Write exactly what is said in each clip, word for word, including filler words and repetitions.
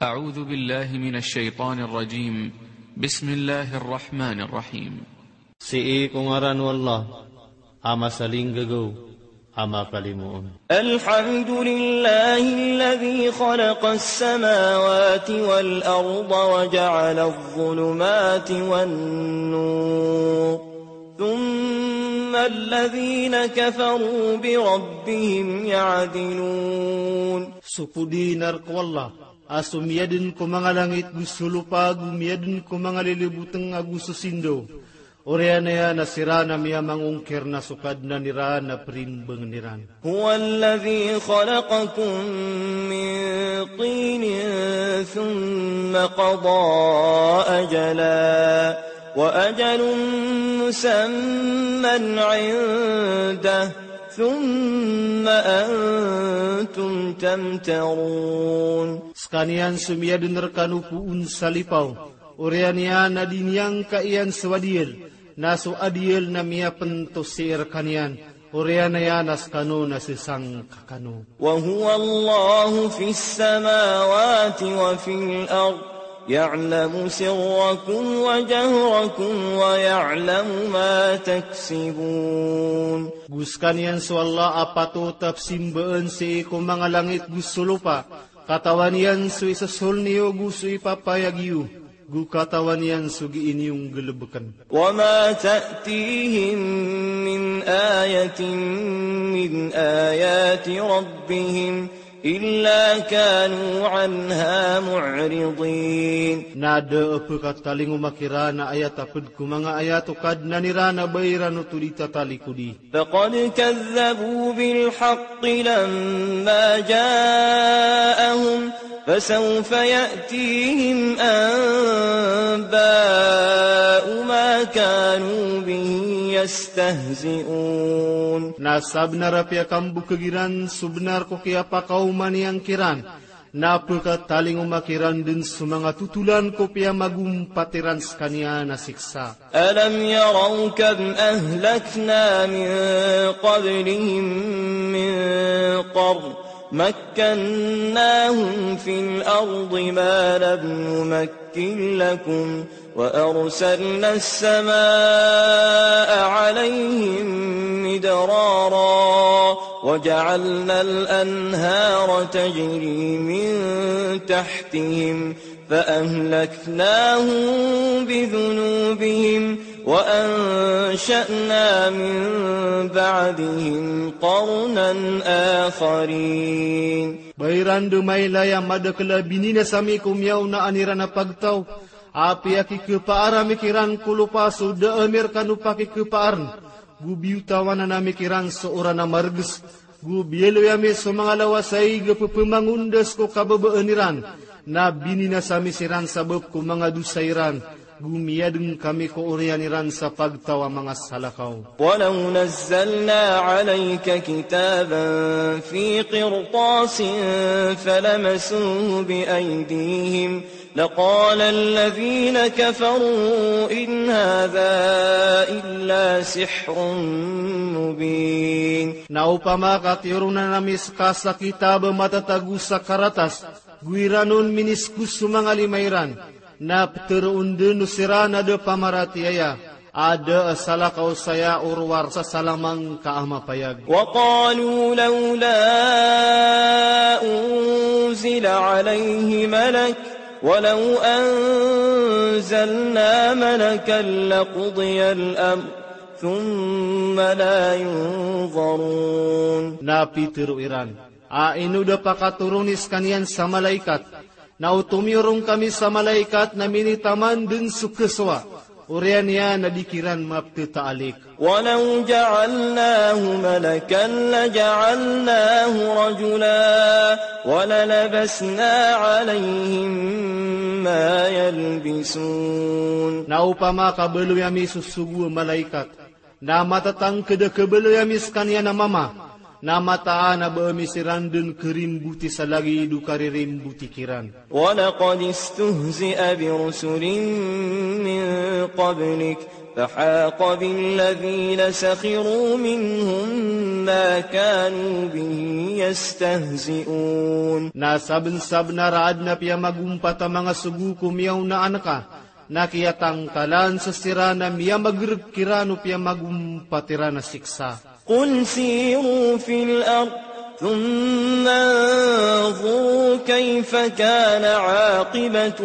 أعوذ بالله من الشيطان الرجيم. بسم الله الرحمن الرحيم. Sii ko ngaran o Allah a masalinggagaw a makalimoon. الحمد لله الذي خلق السماوات والأرض وجعل الظلمات والنور ثم الذين كفروا بربهم يعدلون. So podinar ko Allah a so miyadn ko manga langit go so lopa, go miyadn ko manga lilibotng ago so sindaw. Oriyan iyan a siran a miyamangongkir na so Kadnan iran a primbangn iran. هو الذي خلقكم من طين ثم قضى أجلا وأجل مسمى عنده ثم أنتم تمترون. Skaniyan so miyadn rkano poon sa lipaw, oriyan iyan a di niyangka iyan so adiyal, na so adiyal na miyapnto sii rkaniyan, oriyan iyan a skano na sesangka kano. وهو الله في السماوات وفي الأرض يعلم سركم وجهركم ويعلم ما تكسبون. Go skaniyan so Allah a patot a pzimbaan sii ko manga langit go so lopa, katawan iyan so isosol niyo go so ipapayag iyo, go katawan iyan so gii niyo nggalbkn. وما تأتيهم من آية من آيات ربهم إلا كانوا عنها معرضين. Na da a pkatalingoma kiran a ayat a pd ko manga ayat o Kadnan iran a ba iran oto di tatalikodi. فقد كذبوا بالحق لما جاءهم فسوف يأتيهم أنباء ما كانوا به يستهزئون. Na sabnar a piyakambokg iran so bnar ko kiyapakaoma niyan kiran, na pkatalingoma kiran dn so manga totolan ko piyamagompat iran skaniyan a siksa. ألم يروا كم أهلكنا من قبلهم من قرن مكناهم في الأرض ما لم نمكن لكم وأرسلنا السماء عليهم مدرارا وجعلنا الأنهار تجري من تحتهم فأهلكناهم بذنوبهم وأنشأنا من بعدهم قرنا آخرين. Ba iran dn mailay a madakl a bininasa ami ko miyaonaan iran a pagtaw, a piyakikpaar ami kiran ko lopa so da ami rkano pakikpaarn, go biyotawan ami kiran so oran a margs, go biyaloy ami so manga lawas a ig a pphamangondas ko kababaan iran, na bininasa ami siran sabap ko manga dosa iran, go miyadn kami ko oriyan iran sa pagtaw a manga salakaw. ولو نزلنا عليك كتابا في قرطاس فلمسوه بأيديهم لقال الذين كفروا إن هذا إلا سحر مبين. Na opama ka tiyoron ami ska sa kitab a matatago sa karatas, go iran on miniskos so manga lima iran, na ptharoon dn o siran a da pamaratiyaya, a da a salakaw saya o rowar sa salamangka a mapayag. وقالوا لولا أنزل عليه ملك ولو أنزلنا ملكا لقضي الأمر ثم لا ينظرون. Na pitharo iran a ino da pakatoron i skaniyan sa malaikat, na o tomiyorong kami sa malaikat na minitaman dn so kasowa, oriyan iyan na di kiran mapthataalik. ولو جعلناه ملكا لجعلناه رجلا وللبسنا عليهم ما يلبسون. Na opama ka baloy ami so sogo a malaikat, na matatangkd a kabaloy ami skaniyan a mama, na mataan a ba ami siran dn karimboti sa lagid o karirimboti kiran. ولقد استهزئ برسل من قبلك فحاق بالذين سخروا منهم ما كانوا به يستهزئون. Na sabnsabnar a adn a piyamagompat a manga sogo ko miyaonaan ka, na kiyatangkalan sa siran a miyamagrg kiran o piyamagompat iran a siksa. قل سيروا في الأرض ثم انظروا كيف كان عاقبة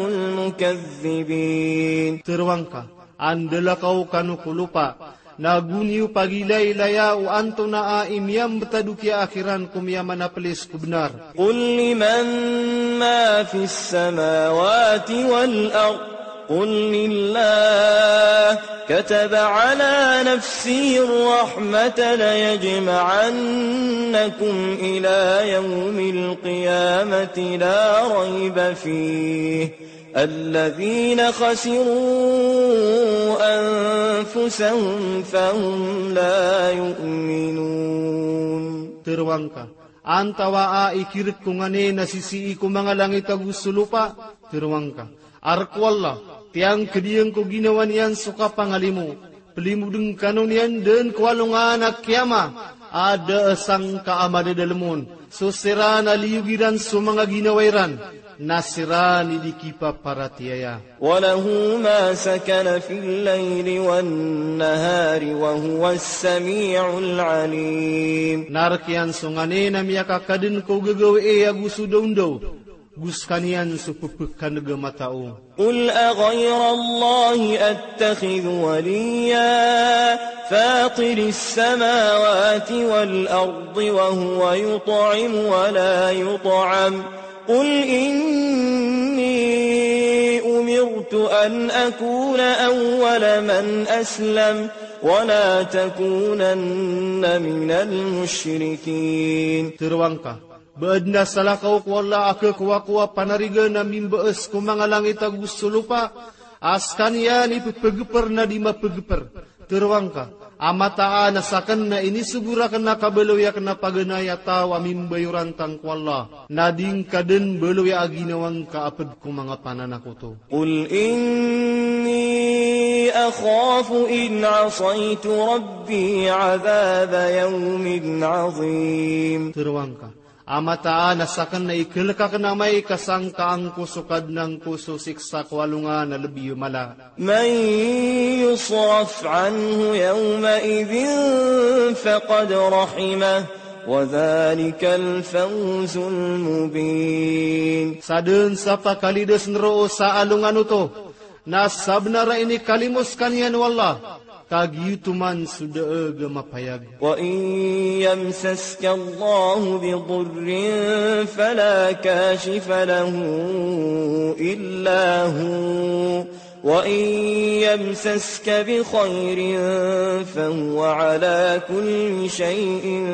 المكذبين. Tero angka, andalakaw kano ko lopa, na go niyo pagilaylaya o antonaa i miyambtad o kiyaakhiran ko miyamanaplis ko bnar. قل لمن ما في السماوات والأرض قل لله كتب على نفسه الرحمة ليجمعنكم إلى يوم القيامة لا ريب فيه الذين خسروا أنفسهم فهم لا يؤمنون. Tero angka, antawaa i kirk ko nganin a sisii ko manga langit ago so lopa? Tero angka, a rk o Allah, tiyangkdn ko ginawa niyan so kapangalimo, plimodn kano niyan dn ko alongan a kiyama, a da a sangka a madadalm on, so siran a liyog iran so manga ginawa iran, na siran i di kipaparatiyaya. وله ما سكن في الليل والنهار وهو السميع العليم. Na rk iyan so nganin a miyakakadn ko gagawii ago so dawndaw, go skaniyan so ppkandg a matao. قل أغير الله أتخذ وليا فاطر السماوات والأرض وهو يطعم ولا يطعم قل إني أمرت أن أكون أول من أسلم ولا تكونن من المشركين. Tero angka, ba adn a salakaw ko Allah a khakowa ko a panarigan a mimbaas ko manga langit ago so lopa, a skaniyan i ppgpr na di mapgpr. Tero angka, a mataan a sakn na inisogo rakn a kabaloy akn a paganay a taw a mimbayorantang ko Allah, na di ngka dn baloya a ginawa ngka a pd ko manga pananakoto. قل إني أخاف إن عصيت ربي عذاب يوم عظيم. Tero angka, a mataan a sakn na iklk akn amay ka sangkaan ko so Kadnan ko so siksa ko alongan a lbi mala. من يصرف عنه يومئذ فقد رحمه وذلك الفوز المبين. Sa dn sa pakalidsn roo sa alongan oto, na sabnar a inikalimo skaniyan o Allah, ka giyoto man so daag a mapayag. وإن يمسسك الله بضر فلا كاشف له إلا هو وإن يمسسك بخير فهو على كل شيء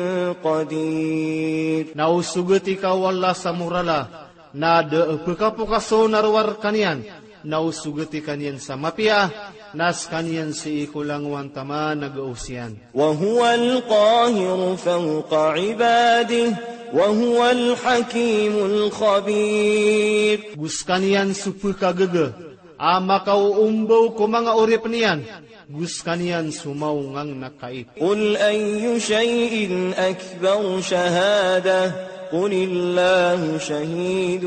قدير. Na o sogati ka o Allah sa morala, na da a pkapokas on a rowar kaniyan, na o sogati kaniyan sa mapiya, na skaniyan sii ko langowan taman a gaos iyan. وهو القاهر فوق عباده وهو الحكيم الخبير. Go skaniyan so pkagaga a makaoombaw ko manga oripn iyan, go skaniyan so maongang na kait. قل أي شيء أكبر شهادة قل الله شهيد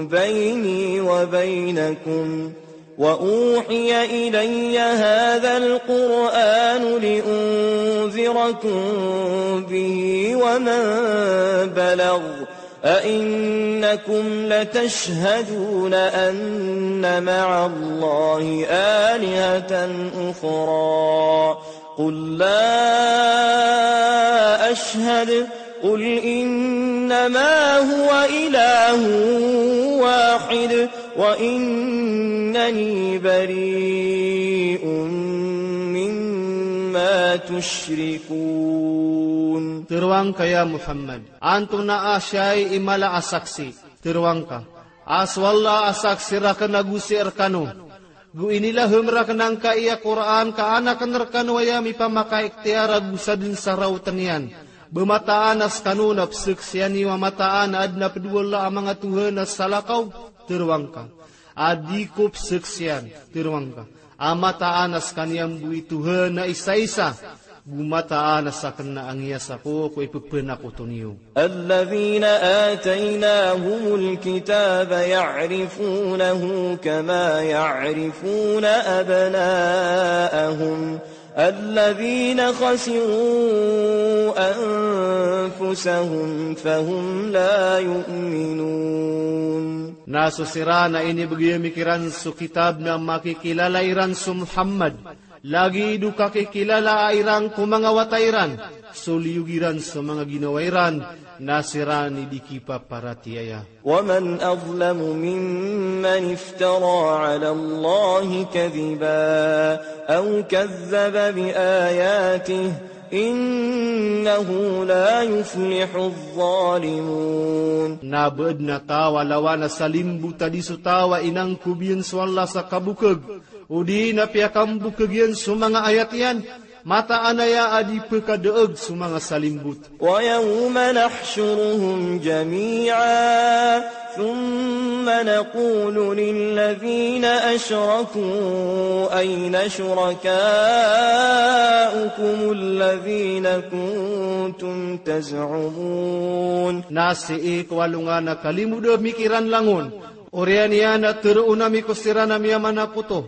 بيني وبينكم وأوحي إلي هذا القرآن لأنذركم به ومن بلغ أئنكم لتشهدون أن مع الله آلهة أخرى قل لا أشهد قل إنما هو إله واحد وإنني بريء مما تشركون. Tero angka ya Muhammad, antonaa siyai i mala a saksi? Tero angka, a so Allah a saksi rakn ago sii rkano, go inilahm rakn angkai a Qur'an ka an akn rkano aya mipamakaikhtiyar ago sadn sa raotn iyan. Ba mataan a skano na pzaksian iyo a mataan a adn a pd o Allah a manga tohan a salakaw? Tero angka, a di ko pzaksian. Tero angka, A mataan a skaniyan bo i Tohan a isa-isa, go mataan a sakn a angiyasako ko ipphanakoto niyo. الذين آتيناهم الكتاب يعرفونه كما يعرفون أبناءهم الذين خسروا أنفسهم فهم لا يؤمنون. Na so siran a inibgay ami kiran so kitab na makikilala iran so Muhammad, lagid o kakikilala iran ko manga wata iran, so liyog iran so manga ginawa iran, na siran i di kipaparatiyaya. ومن أظلم ممن افترى على الله كذبا أو كذب بآياته إنه لا يفلح الظالمون. Na ba adn a taw a lawan a salimbot a di so taw a inangkob iyan so Allah sa kabokag, odi na piyakambokag iyan so manga ayat iyan, mataan aya a di pkhadaag so manga salimbot. ويوم نحشرهم جميعا ثم نقول للذين أشركوا أين شركاؤكم الذين كنتم تزعمون. Na sii ko alongan a kalimod ami kiran langon, oriyan iyan a tharoon ami ko siran a miyamanakoto,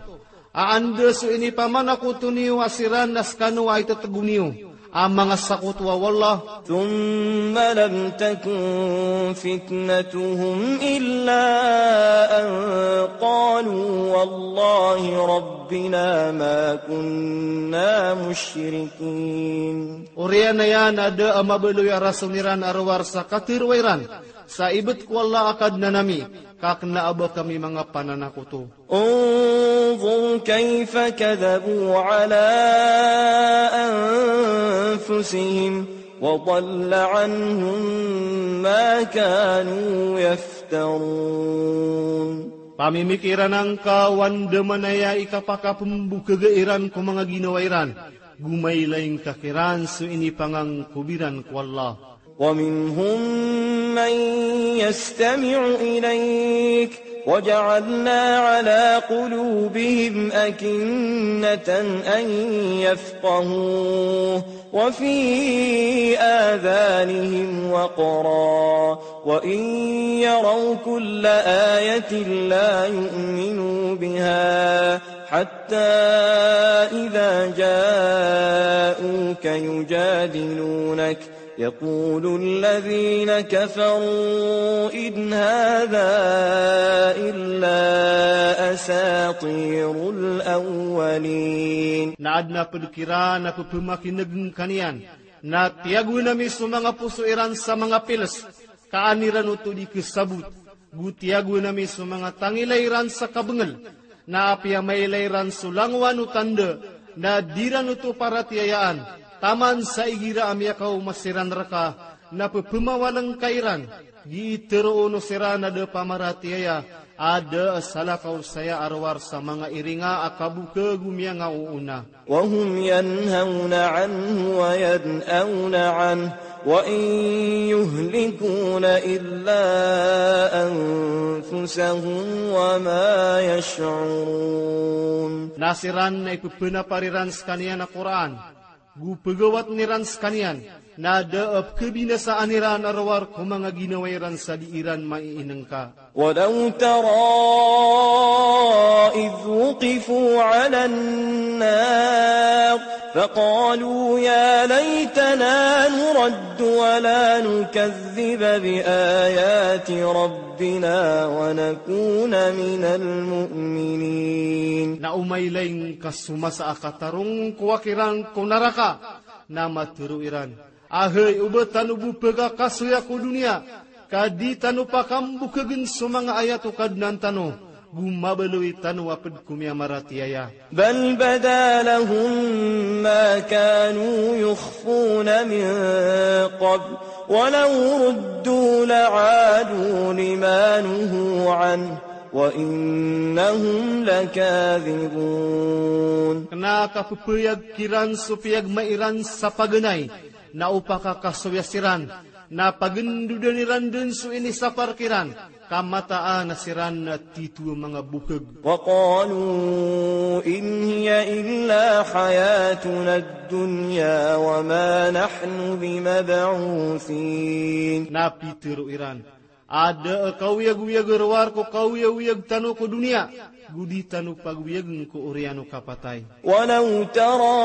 a anda so inipamanakoto niyo a siran a skano a itatgo niyo a manga sakoto a wallah. ثم لم تكن فتنتهم إلا أن قالوا والله ربنا ما كنا مشركين. Oriyan iyan a da a mabaloy a rason iran a rowar sa katharo iran sa ibt ko Allah a Kadnan ami, ka kna a ba kami manga pananakoto. انظر كيف كذبوا على أنفسهم وضل عنهم ما كانوا يفترون. Pamimikiran angka o andamanaya i kapakapmbokhaga iran ko manga ginawa iran, go mailay ngka kiran so inipangangkob iran ko Allah. ومنهم من يستمع إليك وجعلنا على قلوبهم أكنة أن يفقهوه وفي آذانهم وقرا وإن يروا كل آية لا يؤمنوا بها حتى إذا جاءوك يجادلونك يقول الذين كفروا إن هذا إلا أساطير الأولين. Na adn a pd kiran a pphamakineg ngka niyan, na tiyagoan ami so manga poso iran sa manga piles, ka an iran oto di khasabot, go tiyagoan ami so manga tangila iran sa kabngl, na apiya mailay ran so langowan o tanda, na di ran oto paratiyayaan, taman sa igira a miyakaoma siran rka, na pphamawalang ka iran, gii tharoon o siran a da pamaratiyaya, a da a salakaw saya a rowar sa manga iringa a kabokag o miyangaoona. وهم ينهون عنه وينأون عنه وإن يهلكون إلا أنفسهم وما يشعرون. Na siran na ipphanaparan iran skaniyan a Qur'an, go pagawatn iran skaniyan, na da a pkhabinasaan iran a rowar ko manga ginawa iran sa di iran maiinngka. ولو ترى إذ وقفوا على النار فقالوا يا ليتنا نرد ولا نكذب بآيات ربنا ونكون من المؤمنين. Na o mailay ngka so masa a katarongkowa kiran ko naraka, na matharo iran, ahay, oba tano bo pkhakasoya ko doniya, ka di tano pakambokagn so manga ayat o Kadnan tano, go mabaloy tano a pd ko miyamaratiyaya. بل بدا لهم ما كانوا يخفون من قبل ولو ردوا لعادوا لما نهوا عنه وإنهم لكاذبون. Kna a kapphayag kiran so piyagma iran sa paganay, na o pakakasoya siran, na pagndodan iran dn so inisapar kiran, ka mataan a siran na tito a manga bokeg. وقالوا إن هي إلا حياتنا الدنيا وما نحن بمبعوثين. Na pitharo iran a da a kaoyagoyag a rowar ko kaoyagoyag tano ko doniya, go di tano pagoyagn ko oriyan o kapatay. ولو ترى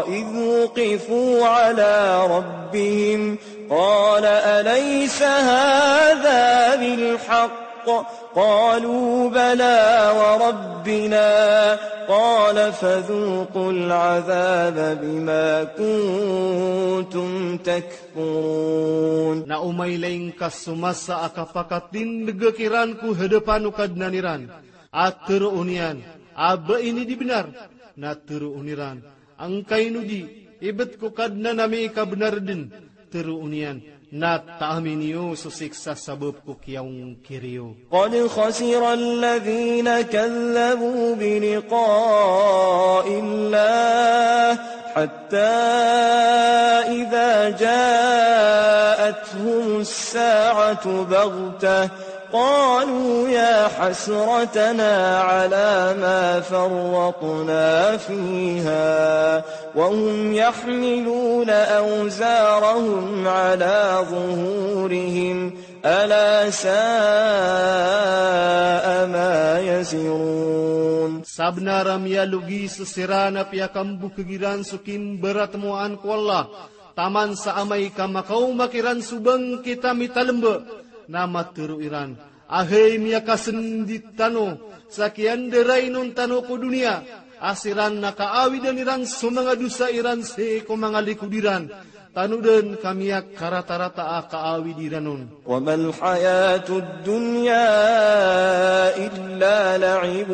إذ وقفوا على ربهم قال أليس هذا بالحق قالوا بلى وربنا قال فذوقوا العذاب بما كنتم تكفرون. Na o mailay ngka so masa a kapakatindeg kiran ko hadapan o Kadnan iran, a tharoon iyan a ba ini di bnar, na tharoon iran a ngkaino di, ibt ko Kadnan ami i kabnar dn, tharoon iyan na taami niyo so siksa sabap ko kiyaongkir iyo. قد خسر الذين كذبوا بلقاء الله حتى إذا جاءتهم الساعة بغتة قالوا يا حسرتنا على ما فرطنا فيها وهم يحملون أوزارهم على ظهورهم ألا ساء ما يزرون. Sabnar a miyalogis siran a piyakambokeg iran so kimbaratmoan ko Allah, taman sa amay ka makaoma kiran so bangkit a mitalmba, na matharo iran a hay miyakasndit tano sa kiyandarai on tano ko doniya, a siran na kaawidan iran so manga dosa iran sii ko manga likod iran, tano dn ka miyakaratarata a kaawid iran on. وما الحياة الدنيا إلا لعب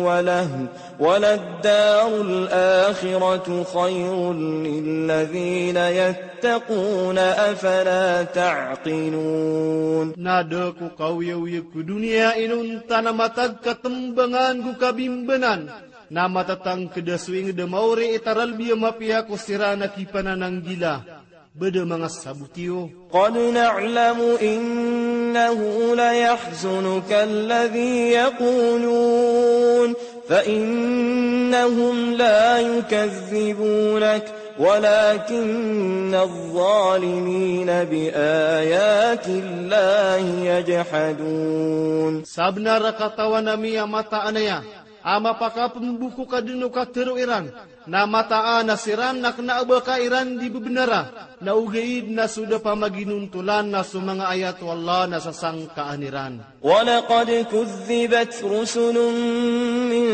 ولهو وللدار الآخرة خير للذين يتقون أفلا تعقلون. Na da ko kaoyagoyag ko doniya inonta na matag katmbangan go kabimbanan, na matatangkd a so ingd a maori i taralbi a mapiya ko siran a kipanananggila. Ba da manga sabot iyo. قد نعلم إنه ليحزنك الذي يقولون فإنهم لا يكذبونك ولكن الظالمين بآيات الله يجحدون. Sabnar a katawan ami a mataan aya a mapakapmbokeg ka dn o katharo iran, na mataan a siran na kna a ba ka iran di bebnara, na ogaid na so da pamaginontolan na so manga ayat o Allah na sasangkaan iran. ولقد كذبت رسل من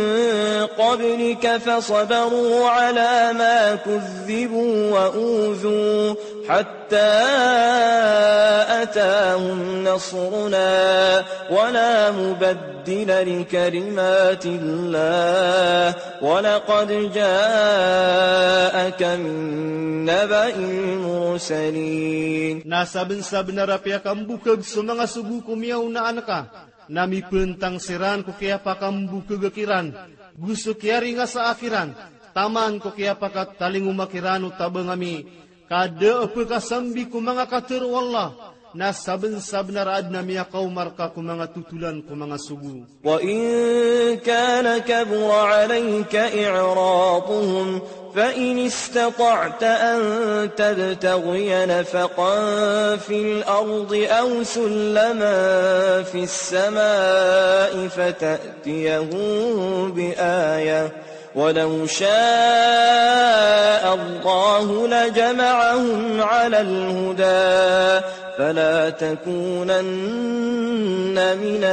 قبلك فصبروا على ما كذبوا وأوذوا حتى أتاهم نصرنا ولا مبدل لكلمات الله ولقد جاءك من نبأ المرسلين. Na sabnsabnar a piyakambokeg so manga sogo ko miyaonaan ka, na mipntang siran ko kiyapakambokeg kiran go so kiyaringasa kiran, taman ko kiyapakatalingoma kiran o tabang ami, ka da a pkasambi ko manga katharo o Allah, na sabnsabnar a adn a miyakaoma rka ko manga totolan ko manga sogo. وإن كان كبر عليك إعراضهم فإن استطعت أن تبتغي نفقا في الأرض أو سلما في السماء فتأتيهم بآية ولو شاء الله لجمعهم على الهدى فلا تكونن من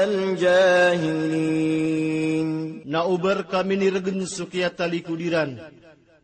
الجاهلين. Na o ba rka minirgn so kiyatalikod iran,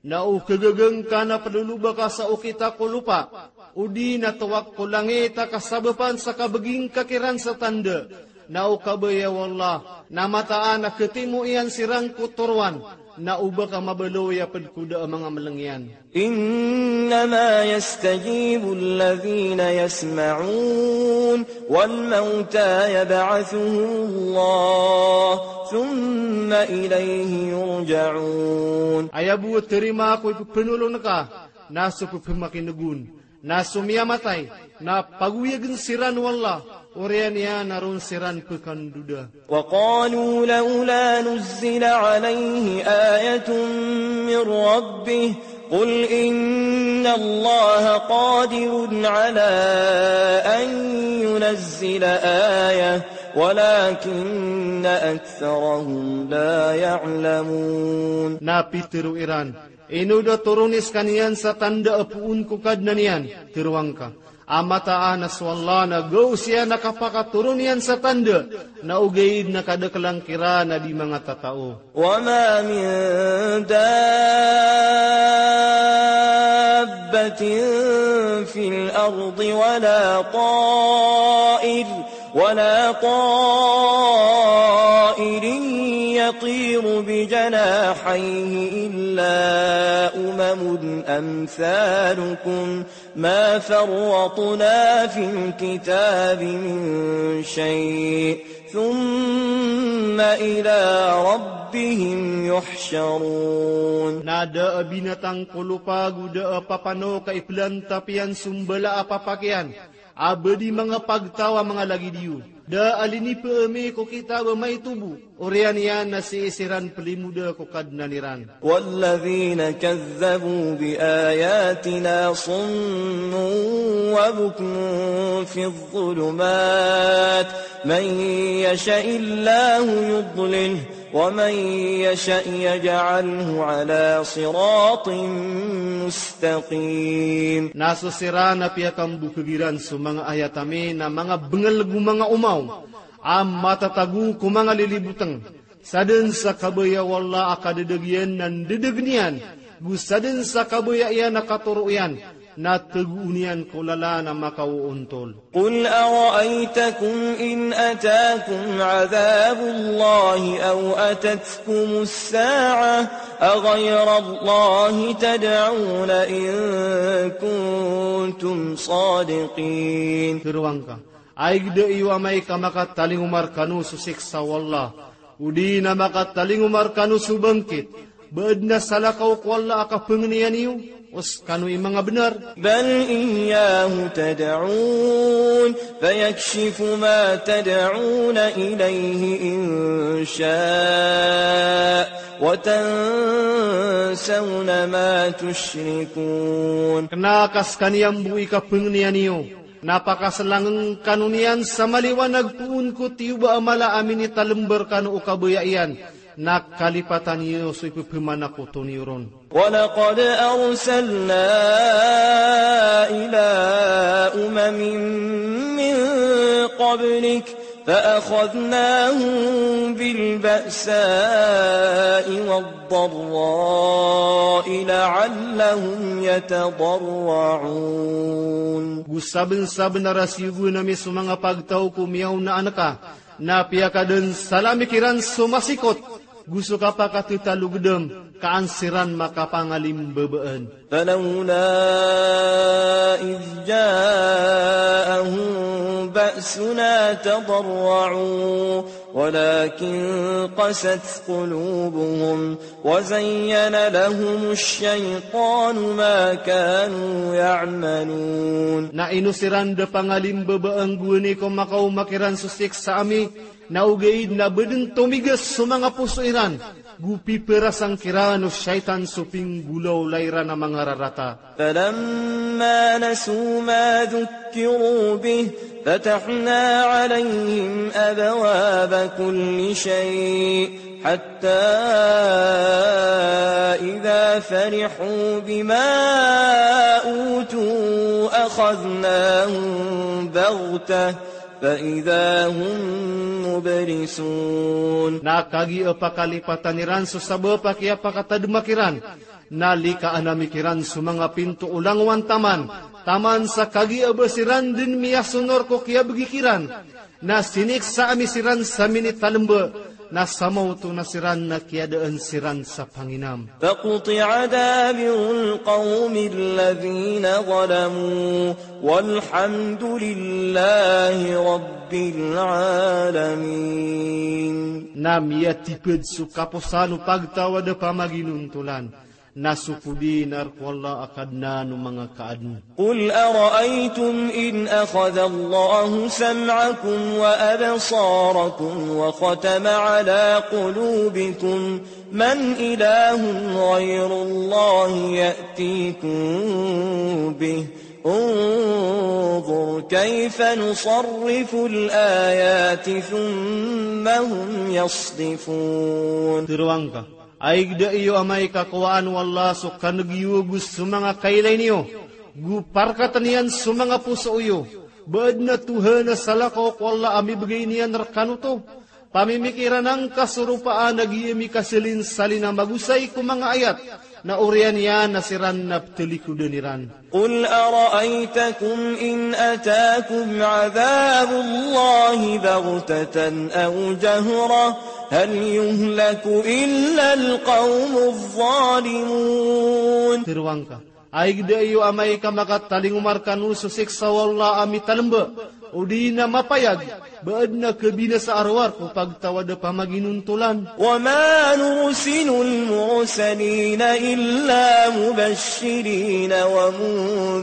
na o kagaga ngka na pdoloba ka sa okit ko lopa, odi na towak ko langit a kasabapan sa kabgi ngka kiran sa tanda, na o kabaya o Allah na mataan a khatimo iyan siran ko toroan, na o ba ka mabaloy a pd ko da a manga mlng iyan. إنما يستجيب الذين يسمعون والموتى يبعثهم الله ثم إليه يرجعون. Aya bo a tarimaa ko i pphanolon ka na so pphamakin'g on, na so miyamatay na pagoyagn siran o Allah, Oriyan iyan na ron siran pekandoda. وقالوا لولا نزل عليه آية من ربه قل إن الله قادر على أن ينزل آية ولكن أكثرهم لا يعلمون. Na pitharo iran, ino da toroni skaniyan sa tanda a poon ko Kadnan iyan? Tharoang ka a mataan a so Allah na gawos iyan a kapakatoron iyan sa tanda, na ogaid na kadaklan kiran a di manga tatao. وما من دابة في الأرض ولا طائر ولا طائر يطير بجناحيه إلا أمم أمثالكم ما فرطنا في الكتاب من شيء ثم إلى ربهم يحشرون. Na da a binatang ko lopa go da a papanok a iplantap iyan so mbala a papak iyan a ba di manga pagtaw a manga lagid iyo. Da a linipa ami ko kitab a maito bo, oriyan iyan na sii siran plimoda ko Kadnan iran. والذين كذبوا بآياتنا صم وبكم في الظلمات من يشأ الله يضلله ومن يشأ يجعله على صراط مستقيم. Na so siran a piyakambokhag iran so manga ayat ami na manga bngl go manga omaw a matatago ko manga lilibotng. Sadn sa kabaya o Allah a kadadag iyan na ndadagn iyan, go sadn sa kabaya iyan a katoro iyan na tagoon iyan ko lalan a makaoontol. قل أرأيتكم إن أتاكم عذاب الله أو أتتكم الساعة أغير الله تدعون إن كنتم صادقين. Tharoang ka, ayg da iyo amay ka makatalingoma rkano so siksa o Allah, odi na makatalingoma rkano so bangkit, ba adn a salakaw ko Allah a kapangniya niyo, o skano i manga bnar? بل إياه تدعون فيكشف ما تدعون إليه إن شاء وتنسون ما تشركون. Kna ka skaniyan bo i kapangniya niyo, na pakaslangn kano niyan sa maliwanag poon ko tiyoba a mala a minitalmba rkano o kabaya iyan, na kalipatan iyo so ipphmanakoto niyo ron. ولقد أرسلنا إلى أمم من قبلك فأخذناهم بالبأساء والضراء لعلهم يتضرعون. Go sabnsabnar a siyogoan ami so manga pagtaw ko miyaonaan ka, na piyakadn salami kiran so masikot, go so kapakathatalogdm, ka an siran makapangalimbabaan. فلولا إذ جاءهم بأسنا تضرعوا ولكن قست قلوبهم وزين لهم الشيطان ما كانوا يعملون. Na ino siran da pangalimbabaan gowani ko makaoma kiran so siksa ami, na ogaid na ba dn tomigas so manga poso iran, go piparasang kiran o shaytan so pinggolawla iran a manga rarata. فلما نسوا ما ذكروا به فتحنا عليهم أبواب كل شيء حتى إذا فرحوا بما أوتوا أخذناهم بغتة فإذا هم مبلسون. Na kagiya pakalipatan iran so sabap a kiyapakatadma kiran, na likaan ami kiran so manga pinto o langowan taman, taman sa kagiya ba siran dn miyasonor ko kiyabgi kiran, na siniksa ami siran sa minitalmba, na samaoto na siran na kiyadaan siran sa panginam. فقطع دابر القوم الذين ظلموا والحمد لله رب العالمين. Na miyatipd so kaposan o pagtaw a da pamaginontolan. Na so podi na rk o Allah a Kadnan o manga kaadn. قل أرأيتم إن أخذ الله سمعكم وأبصاركم وختم على قلوبكم من إله غير الله يأتيكم به انظر كيف نصرف الآيات ثم هم يصدفون. Tharoang ka, a ig da iyo amay ka kowaan o Allah so kaneg iyo ago so manga kailay niyo, go parkatn iyan so manga poso iyo, ba adn a tohan a salakaw ko Allah a mibgay niyan rkano oto. Pamimikiran angka so ropaan a giya mikasalinsalin a magosay ko manga ayat, na oriyan iyan a siran na pthalikodan iran. قل أرأيتكم إن أتاكم عذاب الله بغتة أو جهرة هل يهلك إلا القوم الظالمون. Tharoang ka, a ig da iyo amay ka makatalingoma rkano so siksa o Allah a mitalmba, odi na mapayag, ba adn a kabinasa a rowar ko pagtawad a pamaginontolan. وما نرسل المرسلين إلا مبشرين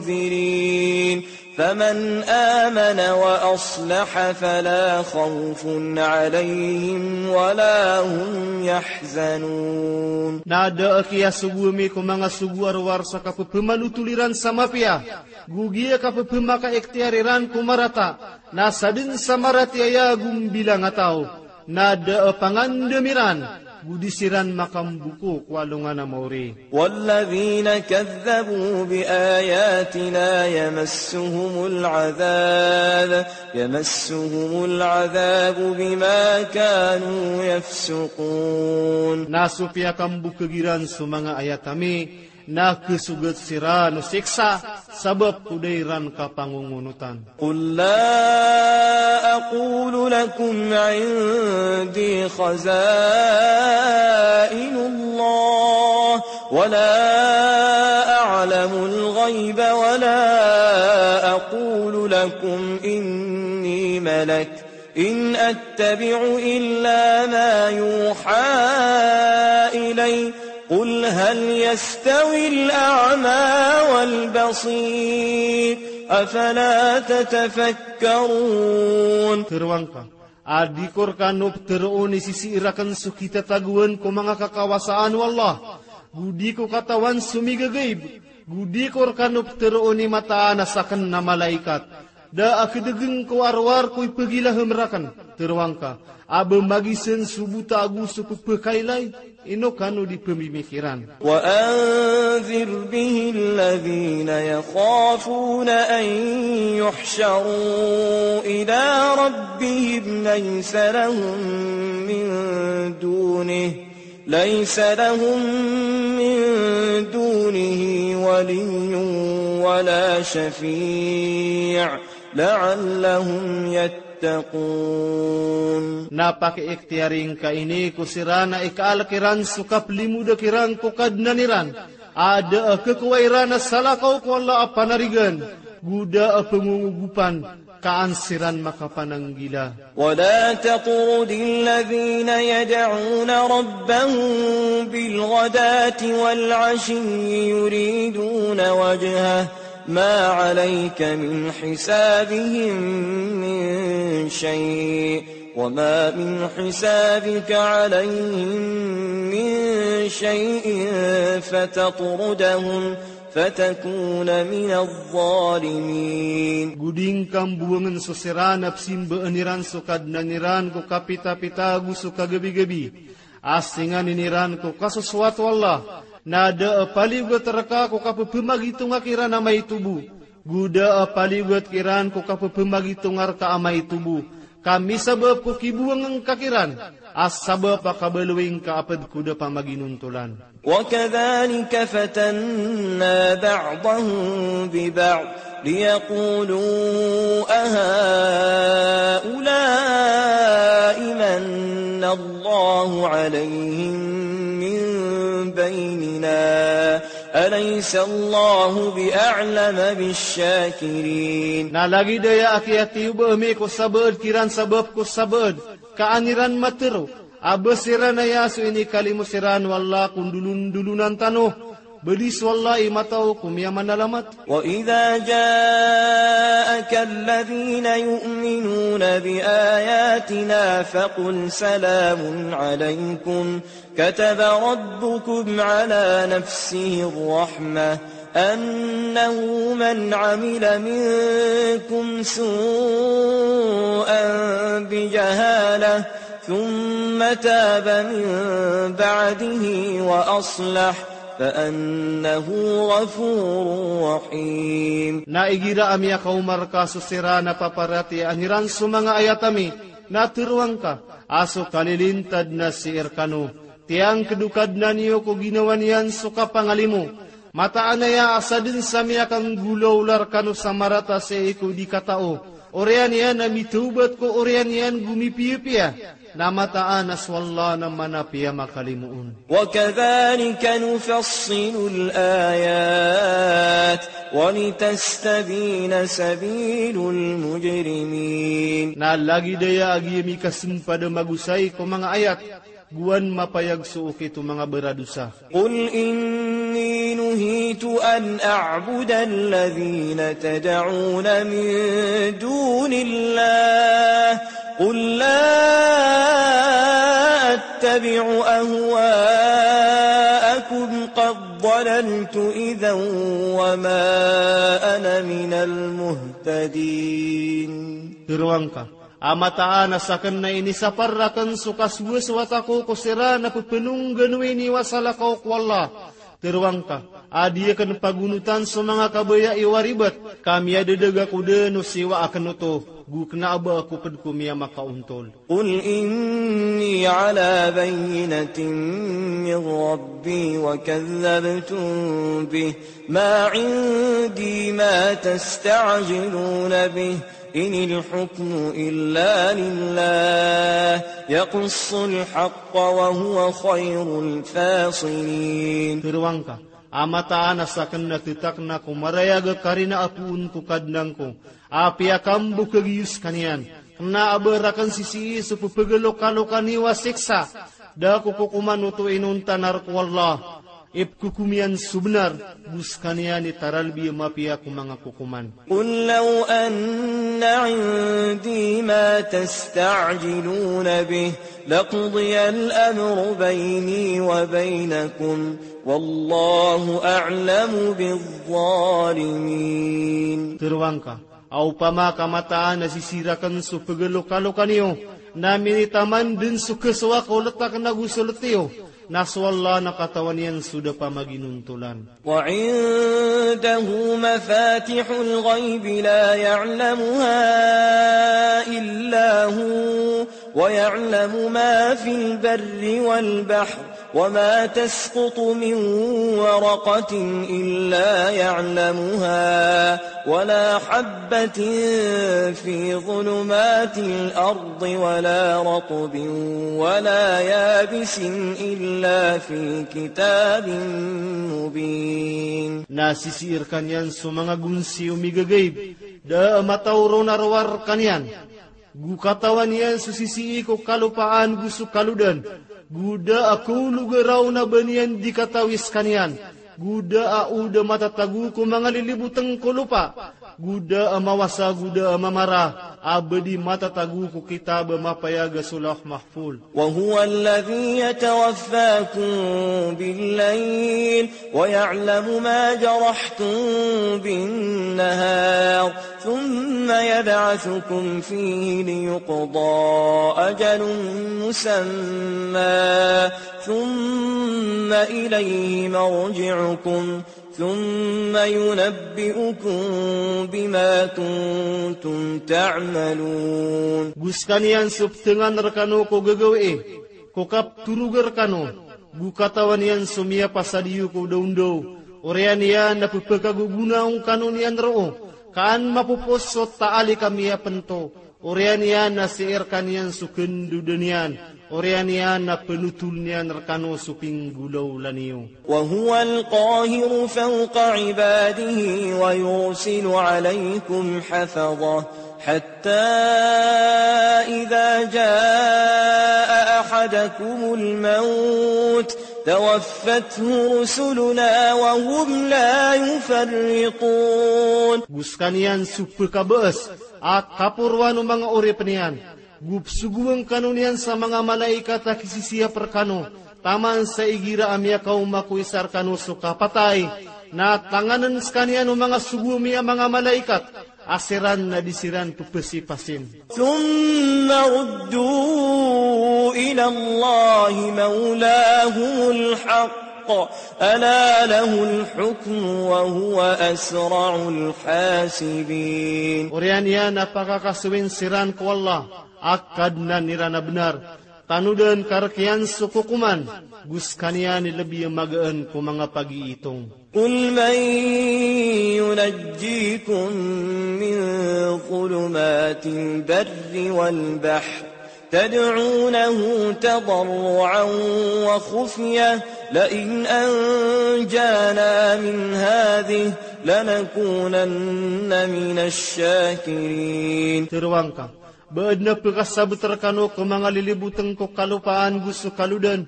ومنذرين فمن آمن وأصلح فلا خوف عليهم ولا هم يحزنون. Na da a kiyasogo ami ko manga sogo a rowar sa kapephamanotol iran sa mapiya, go giya kapephamakaikhtiyar iran ko marata, na sadn sa maratiyaya go mbilang a taw, na da a pangandam iran, go di siran makamboko ko alongan a maori. والذين كذبوا بآياتنا يمسهم العذاب، يمسهم العذاب بما كانوا يفسقون. Na so piyakambokag iran so manga ayat ami, na khasogat siran o siksa, sabap ko da iran kapangongonotan. قل لا أقول لكم عندي خزائن الله ولا أعلم الغيب ولا أقول لكم إني ملك إن أتبع إلا ما يوحى إلي قل هل يستوي الأعمى والبصير أفلا تتفكرون. Tharoang ka, a di ko rkano ptharoon i sisii rakn so kitatagoan ko manga kakawasaan o Allah, go di ko katawan so migagaib, go di ko rkano ptharoon i mataan a sakn a malaikat. Da a kdgn ko a rowar ko ipagilaham rakn. Tharoang ka, a ba magisan so bota ago so pphakailay, ino kano di pmimikiran. وأنذر به الذين يخافون أن يحشروا إلى ربهم ليس لهم من دونه ليس لهم من دونه ولي ولا شفيع لعلهم يتقون. Na pakiikhtiyari ngka ini ko siran a ikaalk iran so kaplimod kiran ko Kadnan iran, a da a khakowa iran a salakaw ko Allah a panarigan, go da a pngongogopan, ka an siran makapananggila. ولا تطرد الذين يدعون ربهم بالغداة والعشي يريدون وجهه ما عليك من حسابهم من شيء وما من حسابك عليهم من شيء فتطردهم فتكون من الظالمين. Go di ngka mbowangn so siran a pzimbaan iran so Kadnan iran ko kapitapita ago so kagabigabi, a singanin iran ko kasosowat o Allah, na da a paliyogat rka ko kapphamagitonga kiran a maito bo, go da a paliyogat kiran ko kapphamagitonga rka a maito bo, ka misabap ko kibowang ngka kiran, a sabap a kabaloy ngka a pd ko da pamaginontolan. وكذلك فتنا بعضهم ببعض ليقولوا أهؤلاء من الله عليهم من بيننا أليس الله بأعلم بالشاكرين. Na lagid aya a kiyatiyoba ami ko sabaad kiran sabap ko sabaad, ka an iran matharo a ba siran aya so inikalimo siran o Allah ko ndolondolonan tano, Badi so Allah i matao ko miyamanalamat. وإذا جاءك الذين يؤمنون بآياتنا فقل سلام عليكم كتب ربكم على نفسه الرحمة أنه من عمل منكم سوءا بجهالة ثم تاب من بعده وأصلح فأنه غفور رحيم. Na igira a miyakaoma rka so siran a paparatiyayaan iran so manga ayat ami, na teroa ngka a so kalilintad na sii rkano, tiyangkd o Kadnan iyo ko ginawa niyan so kapangalimo. Mataan aya a sadn sa miyakanggolawla rkano sa marata sii ko di katao, oriyan iyan a mitawbat ko oriyan iyan go mipiyapiya, na mataan a so Allah na manapiya makalimoon. وكذلك نفصل الآيات ولتستبين سبيل المجرمين. Na lagid aya a giya mikasmpad a magosay ko manga ayat, go an mapayag so okit o manga baradosa. قل إني نهيت أن أعبد الذين تدعون من دون الله قل لا أتبع أهواءكم قد ضللت إذا وما أنا من المهتدين. Teroa ngka a mataan a sakn na inisapar rakn so kasowasowat ako ko siran a pphanongganowi niyo a salakaw ko Allah. Teroa ngka a di akn pagonotan so manga kabaya iyo a ribat, ka miyadadg ako dn o siyowa akn oto, go kna a ba ako pd ko miyamakaontol. قل إني على بينة من ربي وكذبتم به ما عندي ما تستعجلون به إن الحكم إلا لله يقص الحق وهو خير الفاصلين. Teroa ngka a mataan a sakn na ttakn ako marayag a karina a poon ko Kadnan ko a piyakambokag iyo skaniyan. Kna a ba rakn sisii so pphagalokalokaniyo a siksa. Da ako kokoman oto inonta na rk o Allah. Ipkhokom iyan so bnar, go skaniyan i taralbi a mapiya ko manga kokoman. قل لو أن عندي ما تستعجلون به لقضي الأمر بيني وبينكم والله أعلم بالظالمين. Teroa ngka a opama ka mataan a sisii rakn so pagalokalokaniyo, na minitaman dn so khasowa ko ltak na go so lt iyo, na so Allah na katawan iyan so da pamaginontolan. وعنده مفاتح الغيب لا يعلمها إلا هو ويعلم ما في البر والبحر وما تسقط من ورقة إلا يعلمها ولا حبة في ظلمات الأرض ولا رطب ولا يابس إلا في كتاب مبين. Na sisii rkaniyan so manga gonsi o migagaib, da a mataw ron a rowar rkaniyan. Go katawan iyan so sisii ko kalopaan go so kalodan. Go da a kaolog a raon a ba niyan di katawi skaniyan. Go da a o da matatago ko manga lilibotng ko lopa. Go da a mawasa go da a mamara a ba di matatago ko kitab a mapayag a so Lawh Mahfuz. وهو الذي يتوفاكم بالليل ويعلم ما جرحتم بالنهار ثم يبعثكم فيه ليقضى أجل مسمى ثم إليه مرجعكم ثم ينبئكم بما كنتم تعملون. Go skaniyan so ptngan rkano ko gagawii ko kaptorog rkano, go katawan iyan so miyapasad iyo ko dawndaw, oriyan iyan na pphakagogonaan kano niyan roo, ka an mapopos so taalik a miyapnto, oriyan iyan na sii rkaniyan so khandodan iyan, oriyan iyan na pnotol niyan rkano so pinggolawla niyo. وهو القاهر فوق عباده ويرسل عليكم حفظة حتى إذا جاء أحدكم الموت توفته رسلنا وهم لا يفرطون. Go skaniyan so pkhabaas a kaporoan o manga oripn iyan. Go psogoan kano niyan sa manga malaikat a kisisiyap rkano, taman sa igira a miyakaoma ko isa rkano so kapatay, na tangann skaniyan o manga sogo ami a manga malaikat, a siran na di siran ppasipasin. ثم ردوا إلى الله مولاهم الحق ألا له الحكم وهو أسرع الحاسبين. Oriyan iyan a pakakasowin siran ko Allah, a Kadnan iran a bnar. Tanodan ka rk iyan so kokoman, go skaniyan i lbi a magaan ko manga pagiitong. قل من ينجيكم من ظلمات البر والبحر تدعونه تضرعا وخفية لئن أنجانا من هذه لنكونن من الشاكرين. Tharoang ka, ba adn a pkasabot rkano ko manga lilibotn ko kalopaan go so kalodan,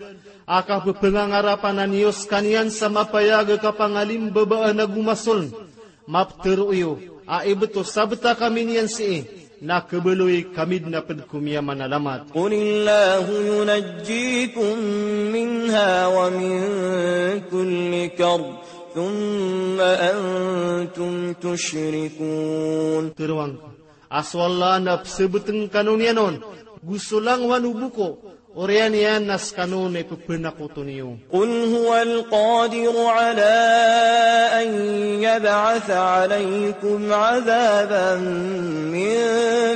a kapphangangarapan a niyo skaniyan sa mapayag a kapangalimbabaan ago masoln, maptharo iyo a ibt o sabota kami niyan sii, na khabaloy kami dn a pd ko miyamanalamat. قل الله ينجيكم منها ومن كل كرب ثم أنتم تشركون. Tharoang ka, a so Allah na psabotn kano niyan on go so langowan o boko, oriyan iyan na skano na ipphanakoto niyo. قل هو القادر على أن يبعث عليكم عذابا من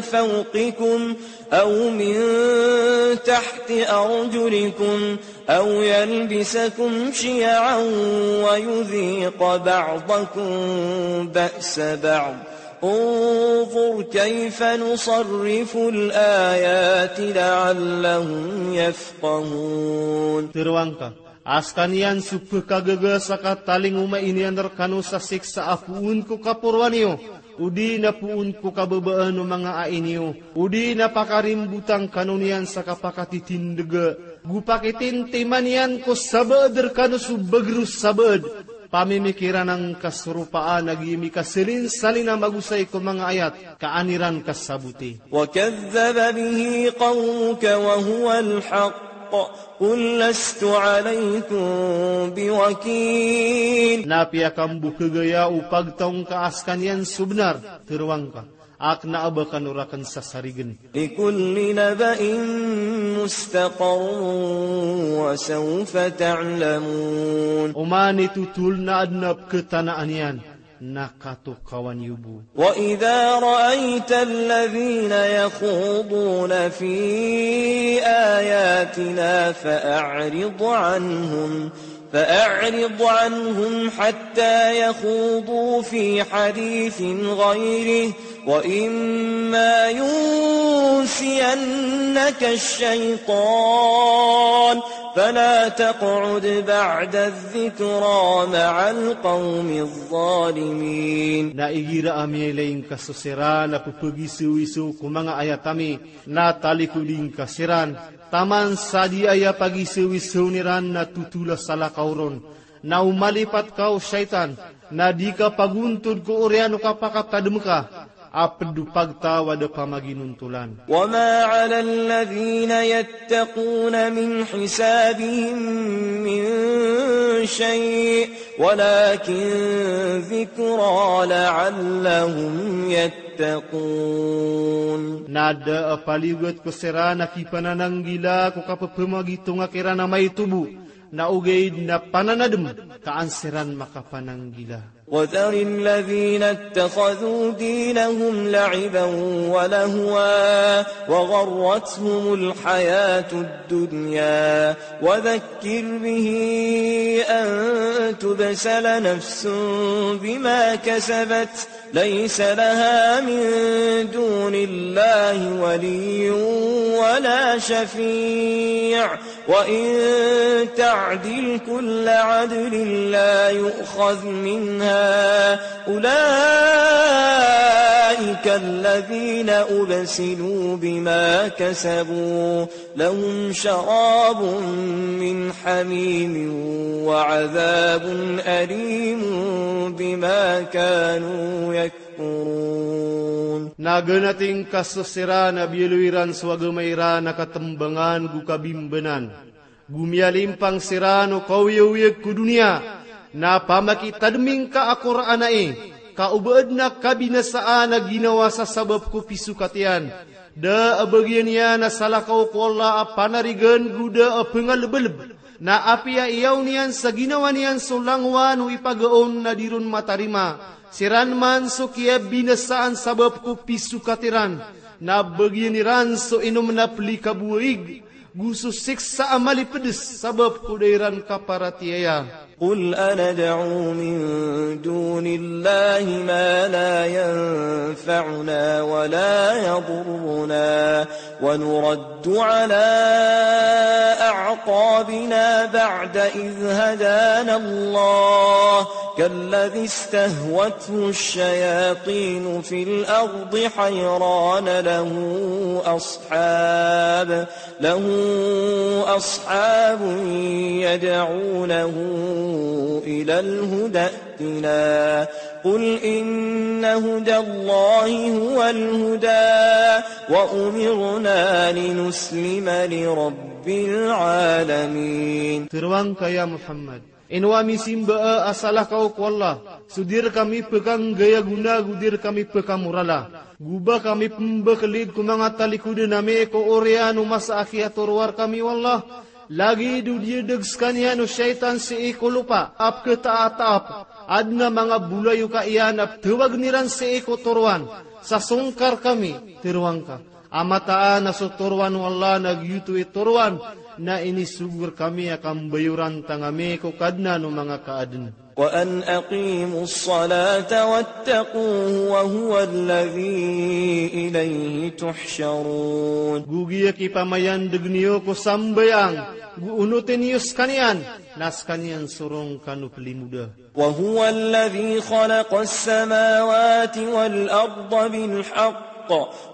فوقكم أو من تحت أرجلكم أو يلبسكم شيعا ويذيق بعضكم بأس بعض انظر كيف نصرف الآيات لعلهم يفقهون. Tharoang ka, a skaniyan so pkhagaga sa katalingoma iyan rkano sa siksa a poon ko kaporoan iyo, odi na poon ko kababaan o manga ai niyo, odi na pakarimbotan kano niyan sa kapakatitindga, go pakitintiman iyan ko sabaad rkano so bagr o sabaad, pamimikiran angka so ropaan a giyami kasalinsalin a magosay ko manga ayat ka an iran kasaboti. وكذب به قومك وهو الحق قل لست عليكم بوكيل. Na piyakambokhagaya o pagtaw ngka a skaniyan so bnar, tharoang ka, a kna a ba kano rakn sasarign. لكل نبأ مستقر وسوف تعلمون. Oman i totol na adn a pkhatanaan iyan, na katokawan iyo bo. وإذا رأيت الذين يخوضون في آياتنا فأعرض عنهم فأعرض عنهم حتى يخوضوا في حديث غيره وإما ينسينك الشيطان فلا تقعد بعد الذكرى مع القوم الظالمين. Na igira a miyailay ngka so siran a pphagisawisaw ko manga ayat ami, na talikodi ngka siran, taman sa di aya pagisawisawn iran na totol a salakaw ron, na o malipat ka o shaytan, na di ka pagontod ko oriyan o kapakatadm ka, a pd o pagtaw a da pamaginontolan. وما على الذين يتقون من حسابهم من شيء ولكن ذكرى لعلهم يتقون. Na da a paliyogat ko siran a kipanananggila ko kapphamagitong a kiran a maito bo, na ogaid na pananadm ka an siran makapananggila. وذر الذين اتخذوا دينهم لعبا ولهوا وغرتهم الحياة الدنيا وذكر به أن تبسل نفس بما كسبت ليس لها من دون الله ولي ولا شفيع، وإن تعدل كل عدل لا يؤخذ منها، أولئك الذين أبسلوا بما كسبوا، لهم شراب من حميم وعذاب أليم بما كانوا يكفرون. Na ganating ka so siran a biyaloy iran so agama iran a katembangan go kabimbanan, go miyalimpang siran o kaoyagoyag ko doniya, na pamakitademing ka a Qur'an ai, ka o ba aden a kabinasaan a ginawa sa sabap ko pisokat iyan, da a bagian iyan a salakaw ko Allah a panarigan go da a pengalebaleb, na apiya iyaw niyan sa ginawa niyan so langowan o ipagaon na di ron matarima siran man so kiyabinasaan sabap ko pisokat iran, na bagian iran so inom na pelikabowaig, go so siksa a malipedes sabap ko da iran kaparatiyaya. قل أندعو من دون الله ما لا ينفعنا ولا يضرنا ونرد على أعقابنا بعد إذ هدانا الله كالذي استهوته الشياطين في الأرض حيران له أصحاب له أصحاب يدعونه إلى الهدى ائتنا. قل إن هدى الله هو الهدى وأمرنا لنسلم لرب العالمين. Teroang ka ya Muhammad, ino a misimba a salakaw ko Allah, so di rekami pekanggayagona go di rekami pekamorala, go ba kami pembekelid ko manga talikoden ami ko oriyan o masa a kiyatoroa rekami o Allah, lagid o diyadeg sekaniyan o shaytan sii ko lopa a peketaataap, aden a manga bolayoka iyan a petawagen iran sii ko toroan, sa songkar kami, teroang ka. A mataan a so toroan o Allah na giyoto i toroan na inisogo rekami a kambayoran tangami ko Kadnan o manga kaaden. وأن أقيموا الصلاة واتقوه وهو الذي إليه تحشرون. Go giya kipamayandeg niyo ko sambayang, go onoten iyo sekaniyan, na sekaniyan so roo kano pelimoda. وهو الذي خلق السماوات والأرض بالحق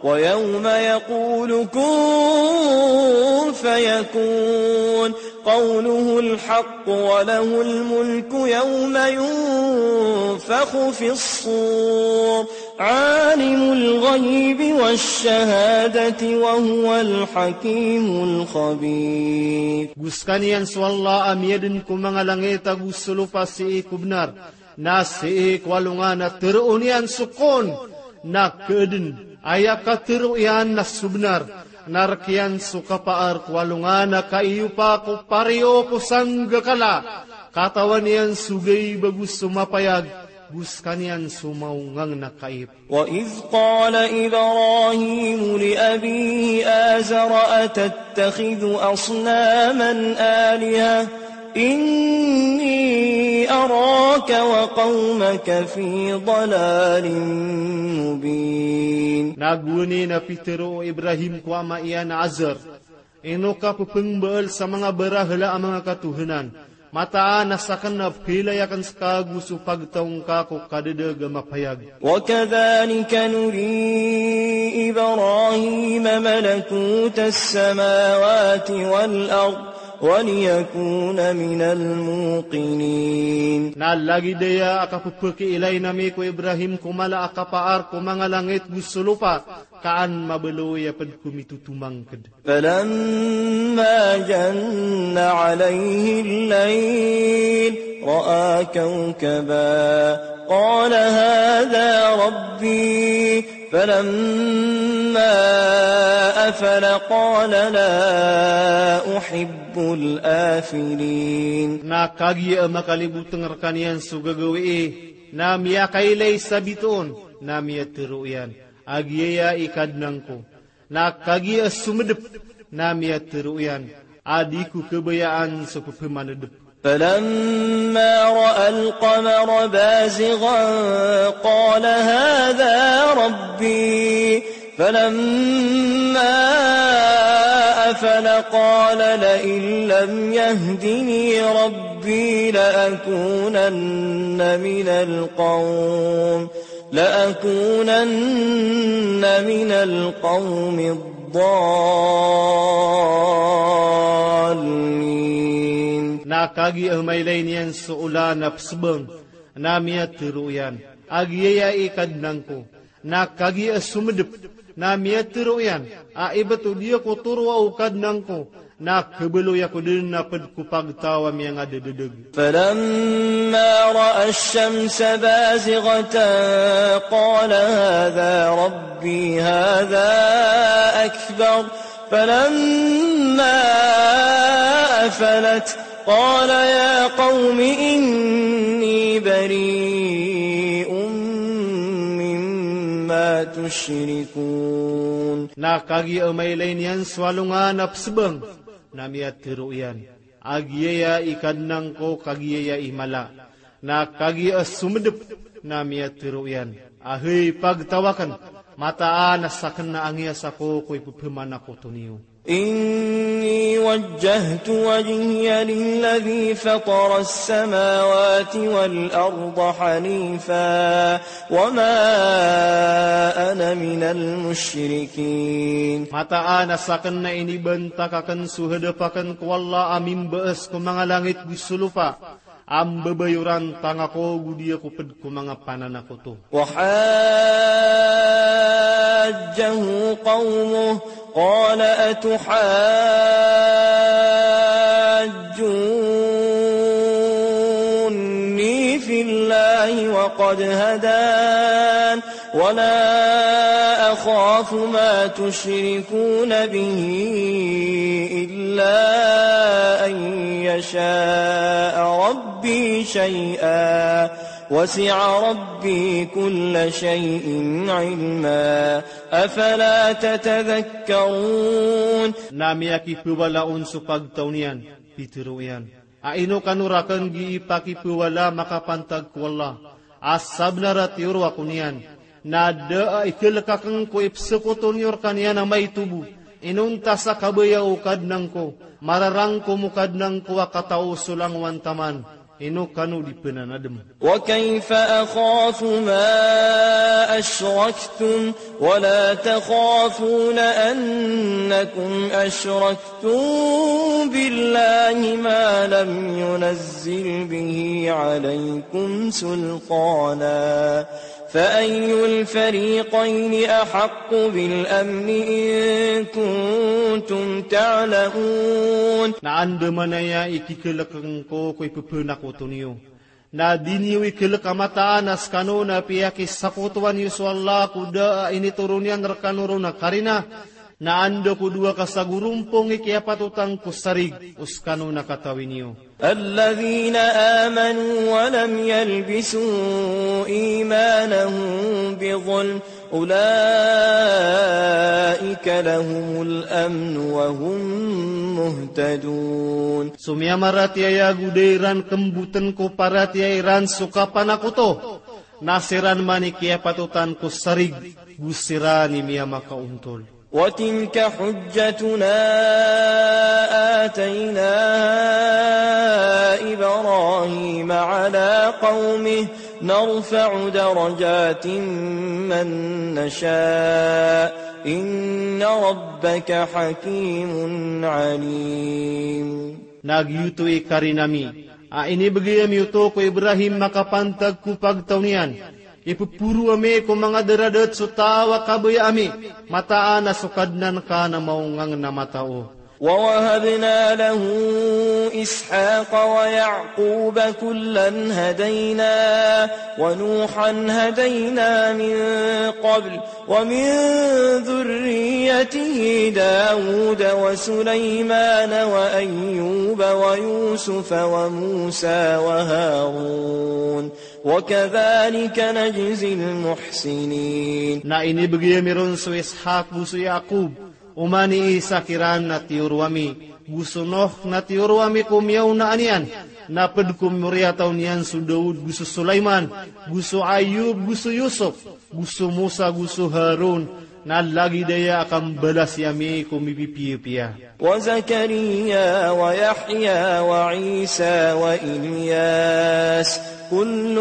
ويوم يقول كن فيكون قوله الحق وله الملك يوم ينفخ في الصور عالم الغيب والشهادة وهو الحكيم الخبير. Go sekaniyan so Allah a miyaden ko manga langit ago so lopa sii ko benar, na sii ko alongan a teroon iyan so kon, na keaden, aya katero iyan na so benar, na rek iyan so kapaar ko alongan a kaiyopa ko pariyo ko sanggakala, katawan iyan so gaib ago so mapayag, go sekaniyan so maongang na kaib. وإذ قال إبراهيم لأبيه آزر أتتخذ أصناما آلهة إني أراك وقومك في ضلال مبين. Na gowani na pitero o Ibrahim ko ama iyan a Azar, ino ka pepengbaal sa manga barahala a manga katohanan, mataan a saken a peilay aken seka go so pagtaw ngka ko kadadeg a mapayag. وكذلك نري إبراهيم ملكوت السماوات والأرض وليكون من الموقنين. Na lagid aya a kapepekeilay ami ko Ibrahim ko mala a kapaar ko manga langit go so lopa, ka an mabaloy a ped ko mitotomangked. فلما جن عليه الليل رأى كوكبا قال هذا ربي فلما أفل قال لا أحب الآفلين. Na kagiya a makaliboteng rekaniyan so gagawii, na miyakailay sa bitoon, na miyatero iyan a giyaya i Kadnan ko. Na kagiya a somedep, na miyatero iyan a di ko kabayaan so pepemanedep. فلما رأى القمر بازغا قال هذا ربي، فلما أفل قال لئن لم يهدني ربي لأكونن من القوم، لأكونن من القوم الضالين. Na kagiya mailay niyan so olan a psbng, na miyatharo iyan a giyaya i Kadnan ko. Na kagiya somdp, na miyatharo iyan a ibt o di ako toroa o Kadnan ko, na khabaloy ako dn a pd ko pagtaw a miyangadadadg. فلما رأى الشمس بازغة قال هذا ربي هذا أكبر، فلما أفلت قال يا قوم إني بريء مما تشركون. Na kagiya mailay niyan so alongan a psbng, na miyatharo iyan a giyaya i Kadnan ko, kagiya i mala. Na kagiya somdp, na miyatharo iyan a hay pagtaw akn, mataan a sakn na angiyas ako ko ipphamanakoto niyo. إني وجهت وجهي للذي فطر السماوات والأرض حنيفا وما أنا من المشركين. Mataan a sakn na inibantak akn so hadap akn ko Allah a mimbas ko manga langit go so lopa, a mbabayoran tanga ko go di ako pd ko manga pananakoto. وحاجه قومه قال أتحاجوني في الله وقد هدان ولا أخاف ما تشركون به إلا أن يشاء ربي شيئا وسع ربي كل شيء علما أفلا تتذكرون. Na miyakiphawala on so pagtaw niyan, pitharo iyan a ino kano rakn gii pakiphawala makapantag ko Allah a sabnar a tiyoro ako niyan, na da a ikhalk akn ko ipsokoto niyo rkaniyan a maito bo, inonta sa kabaya o Kadnan ko, mararangkom o Kadnan ko a katao so langowan taman, ino kano di pnanadm. وكيف أخاف ما أشركتم ولا تخافون أنكم أشركتم بالله ما لم ينزل به عليكم سلطانا فأي الفريقين أحق بالأمن إن كنتم تعلمون. Na andamanaya i kikhalk ngko ko ipphanakoto niyo, na di niyo ikhalk a mataan a skano na piyakisakotowan iyo so Allah ko da a initoron iyan rkano ron a karina, na anda ko dowa ka sagorompong i kiyapatotan ko sarig o skano na katawi niyo. الذين آمنوا ولم يلبسوا إيمانهم بظلم أولئك لهم الأمن وهم مهتدون. So miyamaratiyaya go da iran kmbotn ko paratiyaya iran so kapanakoto, na siran man i kiyapatotan ko sarig, go siran i miyamakaontol. وتلك حجتنا آتيناها إبراهيم على قومه نرفع درجات من نشاء إن ربك حكيم عليم. Na giyoto i karina mi a inibgay ami oto ko Ibrahim makapantag ko pagtaw niyan, ipphoro ami ko manga daradat so taw a kabaya ami, mataan a so Kadnan ka na maongangn a matao. ووهبنا له إسحاق ويعقوب كلا هدينا ونوحا هدينا من قبل ومن ذريته داود وسليمان وأيوب ويوسف وموسى وهارون وكذلك نجزي المحسنين. Na inibgay ami ron so Ishak go so Yaqub, oman i Isak iran na tiyoro ami, go so Nuh na tiyoro ami ko miyaonaan iyan, Na ped ko moriyataw niyan so Daud, go so Sulaiman, go so Ayub, go so Yusuf, go so Musa, go so Harun, na lagid aya a kambalasi ami ko mipipiyapiya. وزكريا ويحيى وعيسى وإلياس كل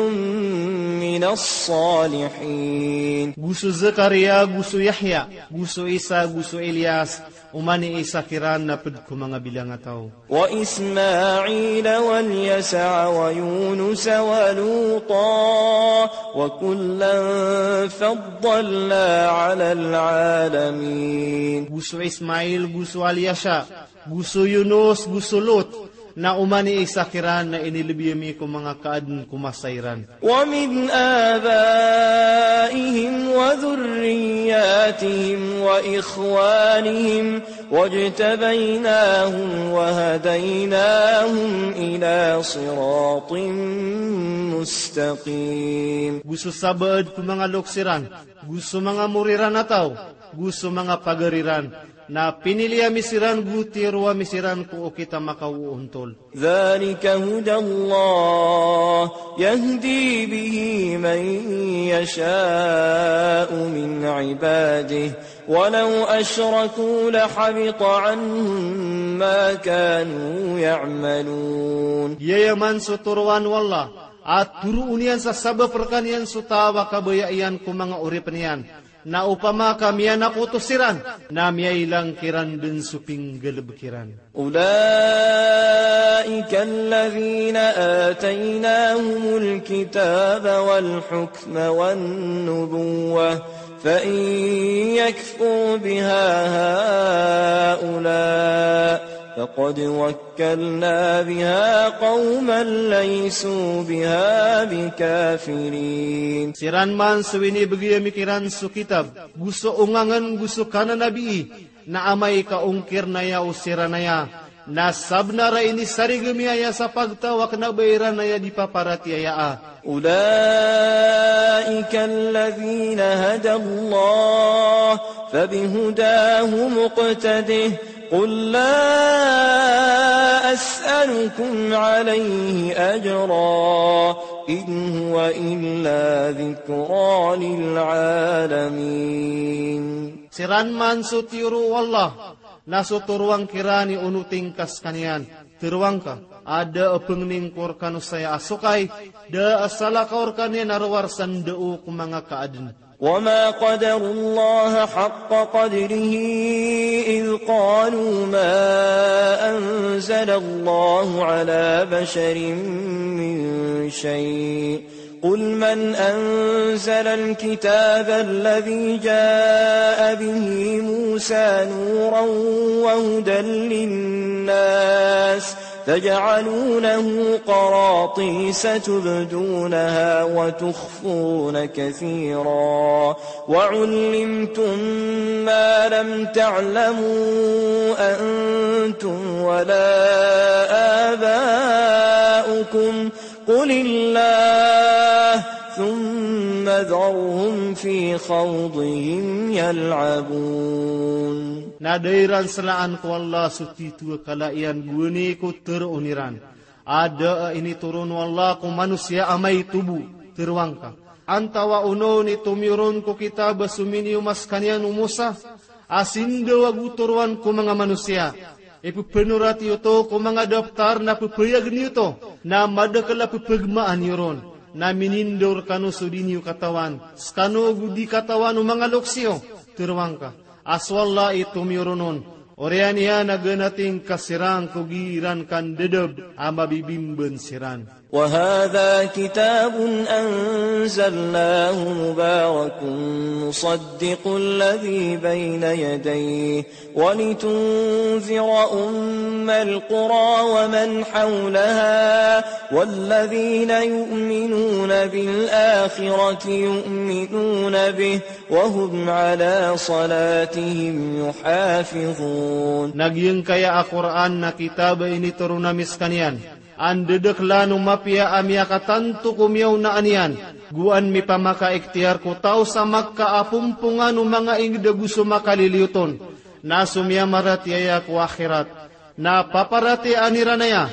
من الصالحين. Go so Zakaria, go so Yahya, go so Isa, go so Ilyas, oman i Isa kiran na ped ko manga bilangataw. وإسماعيل واليسع ويونس ولوطا وكلا فضلنا على العالمين. Go so Ismail, go so Alyasa, go so Yunus, go so Lut, na oman i Isa kiran na inilbi ami ko manga kaaden ko masa iran. ومن آبائهم وذرياتهم وإخوانهم واجتبيناهم وهديناهم إلى صراط مستقيم. Go so sabaad ko manga loks iran, go so manga mori iran a taw, go so manga pagari iran, na pinili ami siran, go tiyoro ami siran ko okit a makaoontol. ذلك هدى الله يهدي به من يشاء من عباده ولو أشركوا لحبط عنهم ما كانوا يعملون. Giyaya man so toroan o Allah a toroon iyan sa sabap rekaniyan so taw a kabaya iyan ko manga oripen iyan. Na opama ka miyanakoto siran, na miyailang kiran den so pinggalebek iran. أولئك الذين آتيناهم الكتاب والحكم والنبوة فإن يكفر بها هؤلاء فقد وكلنا بها قوما ليسوا بها بكافرين. Siran man so inibegay ami kiran so kitab, go so ongangen, go so kananabii, na amay ka ongkir na aya o siran aya, na sabenar a inisarigem iyan aya sa pagtaw a kena ba iran aya di paparatiyaya a. أولئك الذين هدى الله فبهداه مقتده قل لا أسألكم عليه أجرا إن هو إلا ذكرى للعالمين. Siran man so tiyoro o Allah, na so toroan kiran i onoting ka sekaniyan, tero angka, a da a pengening ko rekano saya a sokay, da a salakaw rekaniyan a rowar sa ndao ko manga kaaden. وما قدروا الله حق قدره إذ قالوا ما أنزل الله على بشر من شيء قل من أنزل الكتاب الذي جاء به موسى نورا وهدى للناس تجعلونه قراطيس تبدونها وتخفون كثيرا وعلمتم ما لم تعلموا أنتم ولا آباؤكم قل الله ثم ذرهم في خوضهم يلعبون. Na da iran selaan ko Allah so tito a kala iyan gowani ko teroon iran. A da a initoron o Allah ko manosiya a maito bo, tero angka. Antawaa onon i tomiyoron ko kitab a sominiyo ma sekaniyan o Musa, a sindaw ago toroan ko manga manosiya. Ipepenorati oto ko manga daptar na pepeyagen iyo oto, na madakel a pepegemaan iyo ron. Na minindaw rekano so di niyo katawan, sekano ago di katawan o manga loks iyo, tero angka. A so Allah i tomiyoron on, oriyan iyan a ganating ka siran ko giiran kandedeb a mabibimben siran. وهذا كتاب أنزلناه مبارك مصدق الذي بين يديه ولتنذر أم القرى ومن حولها والذين يؤمنون بالآخرة يؤمنون به وهم على صلاتهم يحافظون. Na giyangkaya a Qur'an na kitab a initoron ami sekaniyan, an dedeklan o mapiya a miyakatanto ko miyaonaan iyan, go an mipamakaikhtiyar ko taw sa Makkah a pompongan o manga inged ago so makaliliyot on, na so miyamaratiyaya ko akhirat, na paparatiyayaan iran aya,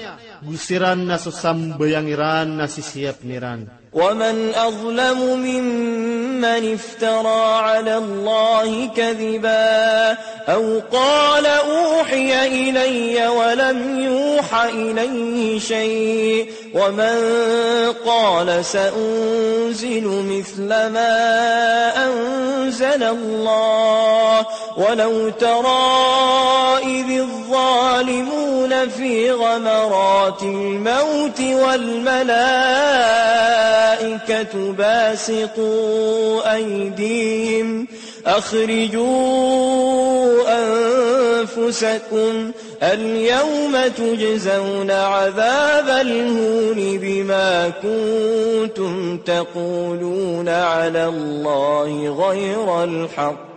Go siran na so sambayang iran na sisiyapn iran. ومن أظلم ممن افترى على الله كذبا أو قال أوحي إلي ولم يوح إليه شيء ومن قال سأنزل مثل ما أنزل الله ولو ترى إذ الظالمون في غمرات الموت والملائكة باسطو أيديهم أخرجوا أنفسكم اليوم تجزون عذاب الهون بما كنتم تقولون على الله غير الحق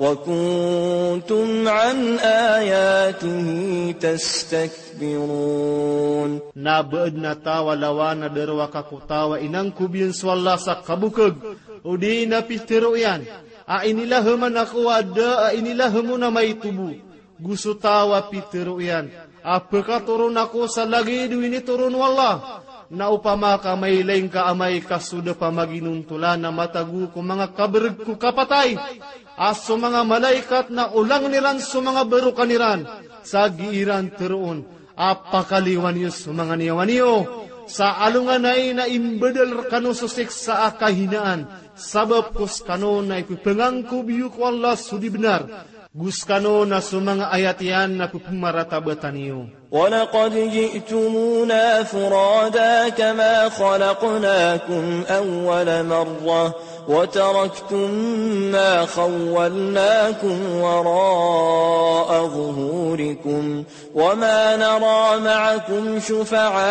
وكنتم عن آياته تستكبرون. Na ba adn a taw a lawan a darowaka ko taw a inangkob iyan so Allah sa kabokag, odi na pitharo iyan a inilahaman ako a da a inilaham on a maito bo. Go so taw a pitharo iyan a pkatoron ako sa lagid o initoron o Allah. Na opama ka mailay ngka amay ka so da pamaginontolan a matago ko manga kabrg ko kapatay a so manga malaikat na olangn iran so manga barokan iran sa gii ran tharoon a pakaliwan iyo so manga niyawa niyo sa alongan ai na imbadal rkano so siksa a kahinaan sabap ko skano na ipphangangkob iyo ko Allah so di bnar. Go skano na so manga ayat iyan na pphmaratabatan iyo. ولقد جئتمونا فرادا كما خلقناكم أول مرة وتركتم ما خولناكم وراء ظهوركم وما نرى معكم شفعاءكم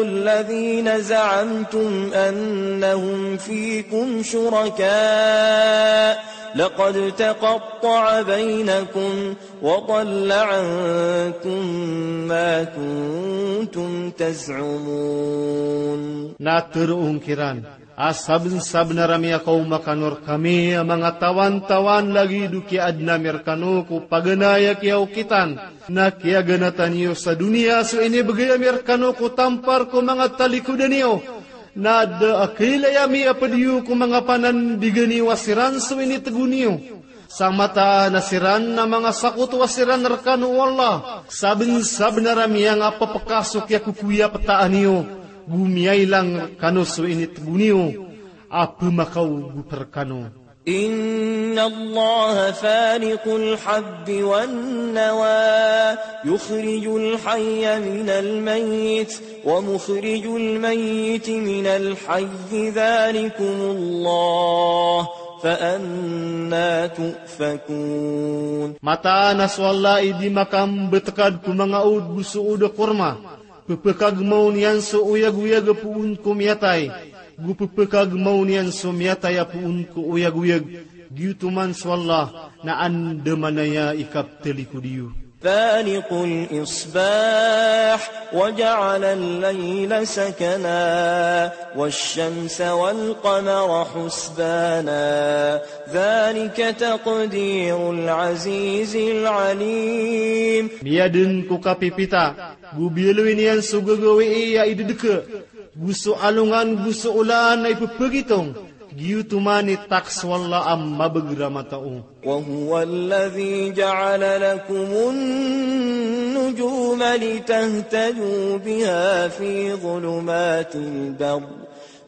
الذين زعمتم أنهم فيكم شركاء لقد تقطع بينكم وضل عنكم ما كنتم تزعمون. Na tharoon kiran a sabnsabnar a miyakaoma kano rkami a manga tawantawan lagid o kiyaadn ami rkano ko paganay a kiyaokitan na kiyaganatan iyo sa doniya so inibgay ami rkano ko tampar ko manga talikodan iyo. Na da a kailay ami a pd iyo ko manga panandigan iyo a siran so initgo niyo. Sa mataan a siran na manga sakoto a siran rkano o Allah, sabnsabnar a miyangapphka so kiyakokoya ptaan iyo, go miyailang rkano so initgo niyo a pmakaogop rkano. إن الله فالق الحب والنوى يخرج الحي من الميت ومخرج الميت من الحي ذلكم الله فأنى تؤفكون. Mataan a so Allah i di makambtkad ko manga od go so od a korma. Pphkagmaw niyan so oyagoyag a poon ko miyatay, go pphkagmaw niyan so miyatay a poon ko oyagoyag, giyoto man so Allah na andamanaya i kaptalikod iyo. فالق الإصباح وجعل الليل سكنا والشمس والقمر حسبانا ذلك تقدير العزيز العليم. Miyadn ko kapipita, go biyaloy niyan so gagawii a idadka, go so alongan go so olan a ipphagitong, giyoto man i taks o Allah a mabager a matao. وهو الذي جعل لكم النجوم لتهتدوا بها في ظلمات البر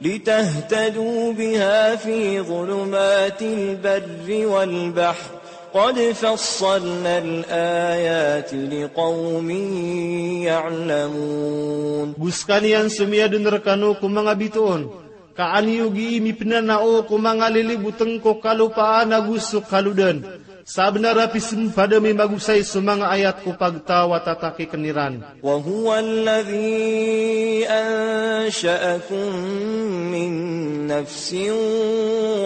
لتهتدوا بها في ظلمات البر والبحر قد فصلنا الآيات لقوم يعلمون. Go skaniyan so miyadn rkano ko manga bitoon, ka an iyo gii mipnanao ko manga lilibotng ko kalopaan ago so kalodan. Sabnar a pismpad ami magosay so manga ayat ko pagtaw a tatakikn iran. وهو الذي أنشأكم من نفس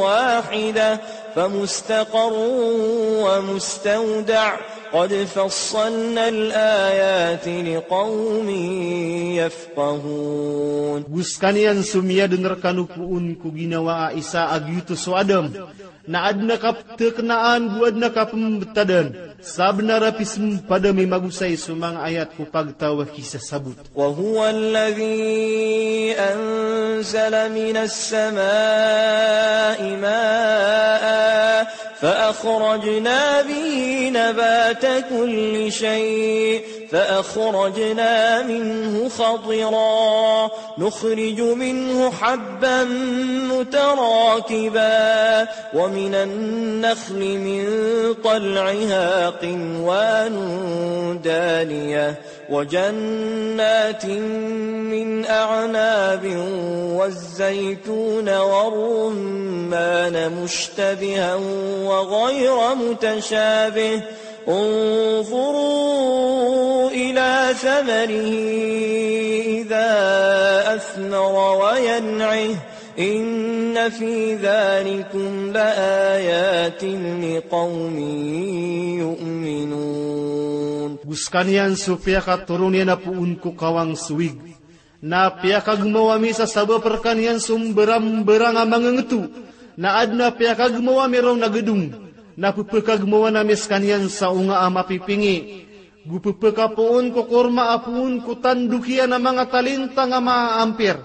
واحدة فمستقر ومستودع قد فصلنا الآيات لقوم يفقهون. Go skaniyan so miyadn rkano poon ko ginawa a isa a giyoto so Adam, na adn a kapthaknaan go adn a kapmbtadan, sabnar a pismpadami magosay so manga ayat ko pagtaw a kisasabot. وهو الذي أنزل من السماء ماء فأخرجنا به نبات كل شيء فأخرجنا منه خضرا نخرج منه حبا متراكبا ومن النخل من طلعها قنوان دانية وجنات من أعناب والزيتون والرمان مشتبها وغير متشابه انظروا إلى ثمره إذا أثمر وينعه إن في ذلكم لآيات لقوم يؤمنون. Go skaniyan so piyakatoron iyan a poon ko kawang so wig, na piyakagmawa mi sa sabap rkaniyan so mbarang-mbarang a mangngto, na adn a piyakagmawa mi ron a gdong, na pphakagmawa ami skaniyan sa onga a mapipingi. Go pphakapoon ko korma a poon ko tandok iyan a manga talintang a maampir.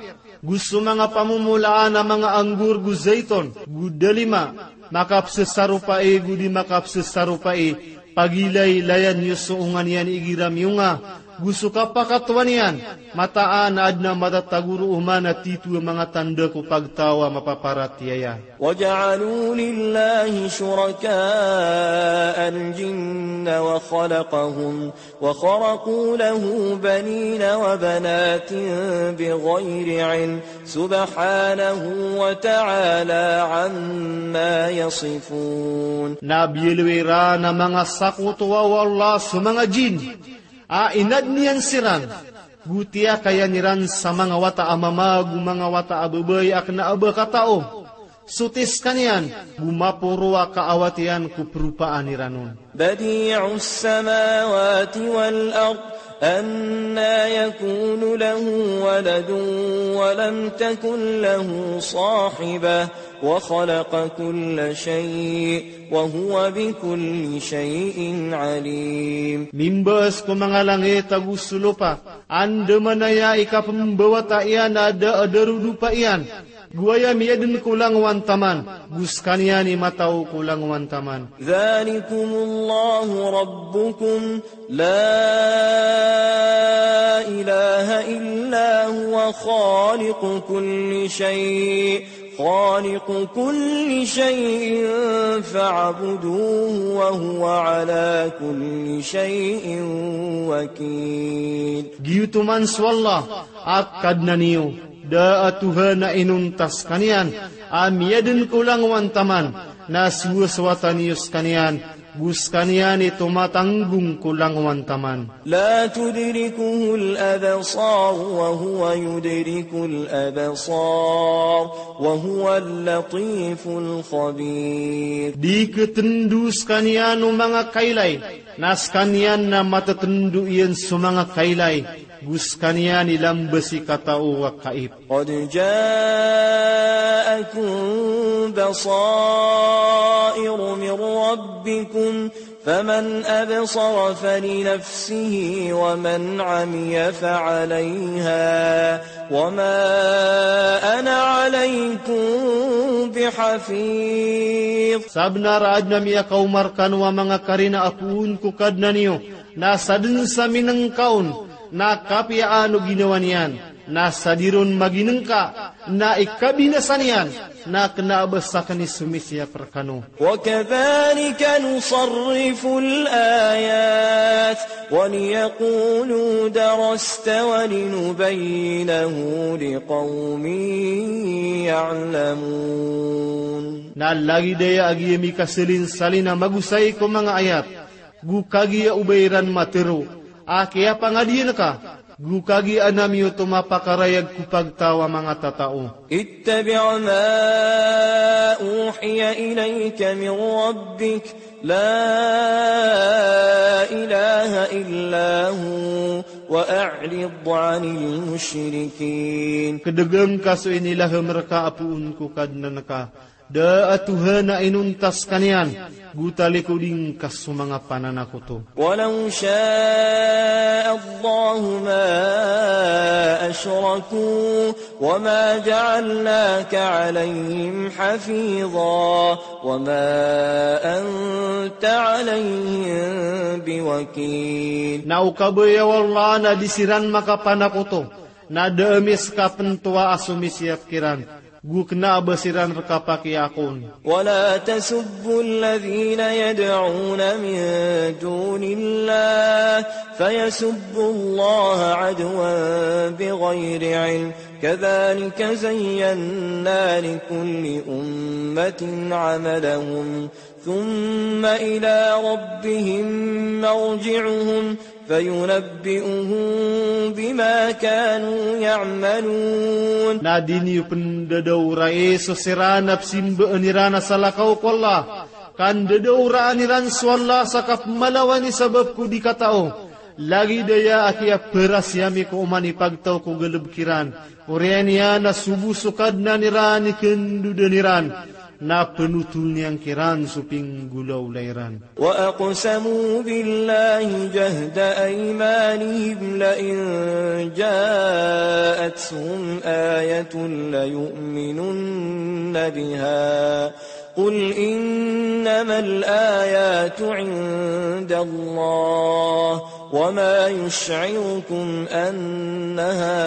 Go so manga pamomolaan a manga anggur go zayton, go dalima, makapsesaropai go di makapsesaropai, pagilaylayan iyo so onga niyan igira miyonga, go so kapakatowa niyan, mataan a adn a matatago roo man a tito a manga tanda ko pagtaw a mapaparatiyaya. وجعلوا لله شركاء الجن وخلقهم وخرقوا له بنين وبنات بغير علم سبحانه وتعالى عما يصفون. Na biyaloy iran a manga sakotowa o Allah so manga jin, a inadn iyan siran, go tiyakayan iran sa manga wata a mama go manga wata a babay a kna a ba katao. Soti skaniyan, go maporo a kaawat iyan ko propaan iran on. بديع السماوات والأرض أنى يكون له ولد ولم تكن له صاحبة وخلق كل شيء وهو بكل شيء عليم. Mimbaas ko manga langit ago so lopa, andamanaya i kapmbawata iyan a da a darodopa iyan, go aya miyadn ko langowan taman, go skaniyan i matao ko langowan taman. ذلكم الله ربكم لا إله إلا هو خالق كل شيء خالق كل شيء فاعبدوه وهو على كل شيء وكيل. Giyoto man so Allah a Kadnan iyo, da a tohan a inonta skaniyan, a miyadn ko langowan taman, na sowasowatan iyo skaniyan, go skaniyan i tomatanggong ko langowan taman. لا تدركه الأبصار وهو يدرك الأبصار وهو اللطيف الخبير. Di ktndo skaniyan o manga kailay, na skaniyan na matatndo iyan so manga kailay, go skaniyan i lamba si katao a kaip. قد جاءكم بصائر من ربكم فمن أبصر فلنفسه ومن عمي فعليها وما أنا عليكم بحفيظ. Sabnar a adn a miyakaoma rkano a manga karina a poon ko Kadnan iyo, na sadn sa minngka on, na kapiyaan o ginawa niyan, na sa di ron maginngka, na ikabinasa niyan, na kna a ba sakn i somisiyap rkano. وكذلك نصرف الآيات وليقولوا درست ولنبينه لقوم يعلمون. Na lagid aya a giya mikasalinsalin a magosay ko manga ayat, go kagiya o ba iran matharo a kiyapangadiyan ka, Go kagiya ami oto mapakarayag ko pagtaw a manga tatao. اتبع ما أوحي إليك من ربك لا إله إلا هو وأعرض عن المشركين. Kdgm ka so inilahm rka a poon ko Kadnan ka, da a Tuhan a inonta skaniyan, go talikodi ngka so manga pananakoto. ولو شاء الله ما أشركوا وما جعلناك عليهم حفيظا وما أنت عليهم بوكيل. Na o kabaya o Allah na di siran makapanakoto, na da ami ska pn oto a somisiyap kiran, go kna a ba siran rka pakiyakoon. ولا تسبوا الذين يدعون من دون الله فيسبوا الله عدوا بغير علم كذلك زينا لكل أمة عملهم ثم إلى ربهم مرجعهم فينبئهم بما كانوا يعملون. Na di niyo pn dadaorai so siran a pzimbaan iran a salakaw ko Allah, ka ndadaoraan iran so Allah sa kapmalawan i sabap ko di katao. Lagid aya a kiyaparasi ami ko oman i pagtaw ko galbk iran. Oriyan iyan na so bo so Kadnan iran i kandodan iran, na pnotol niyan kiran so pinggolawla iran. وأقسموا بالله جهد أيمانهم لئن جاءتهم آية ليؤمنن بها قل إنما الآيات عند الله وما يشعركم أنها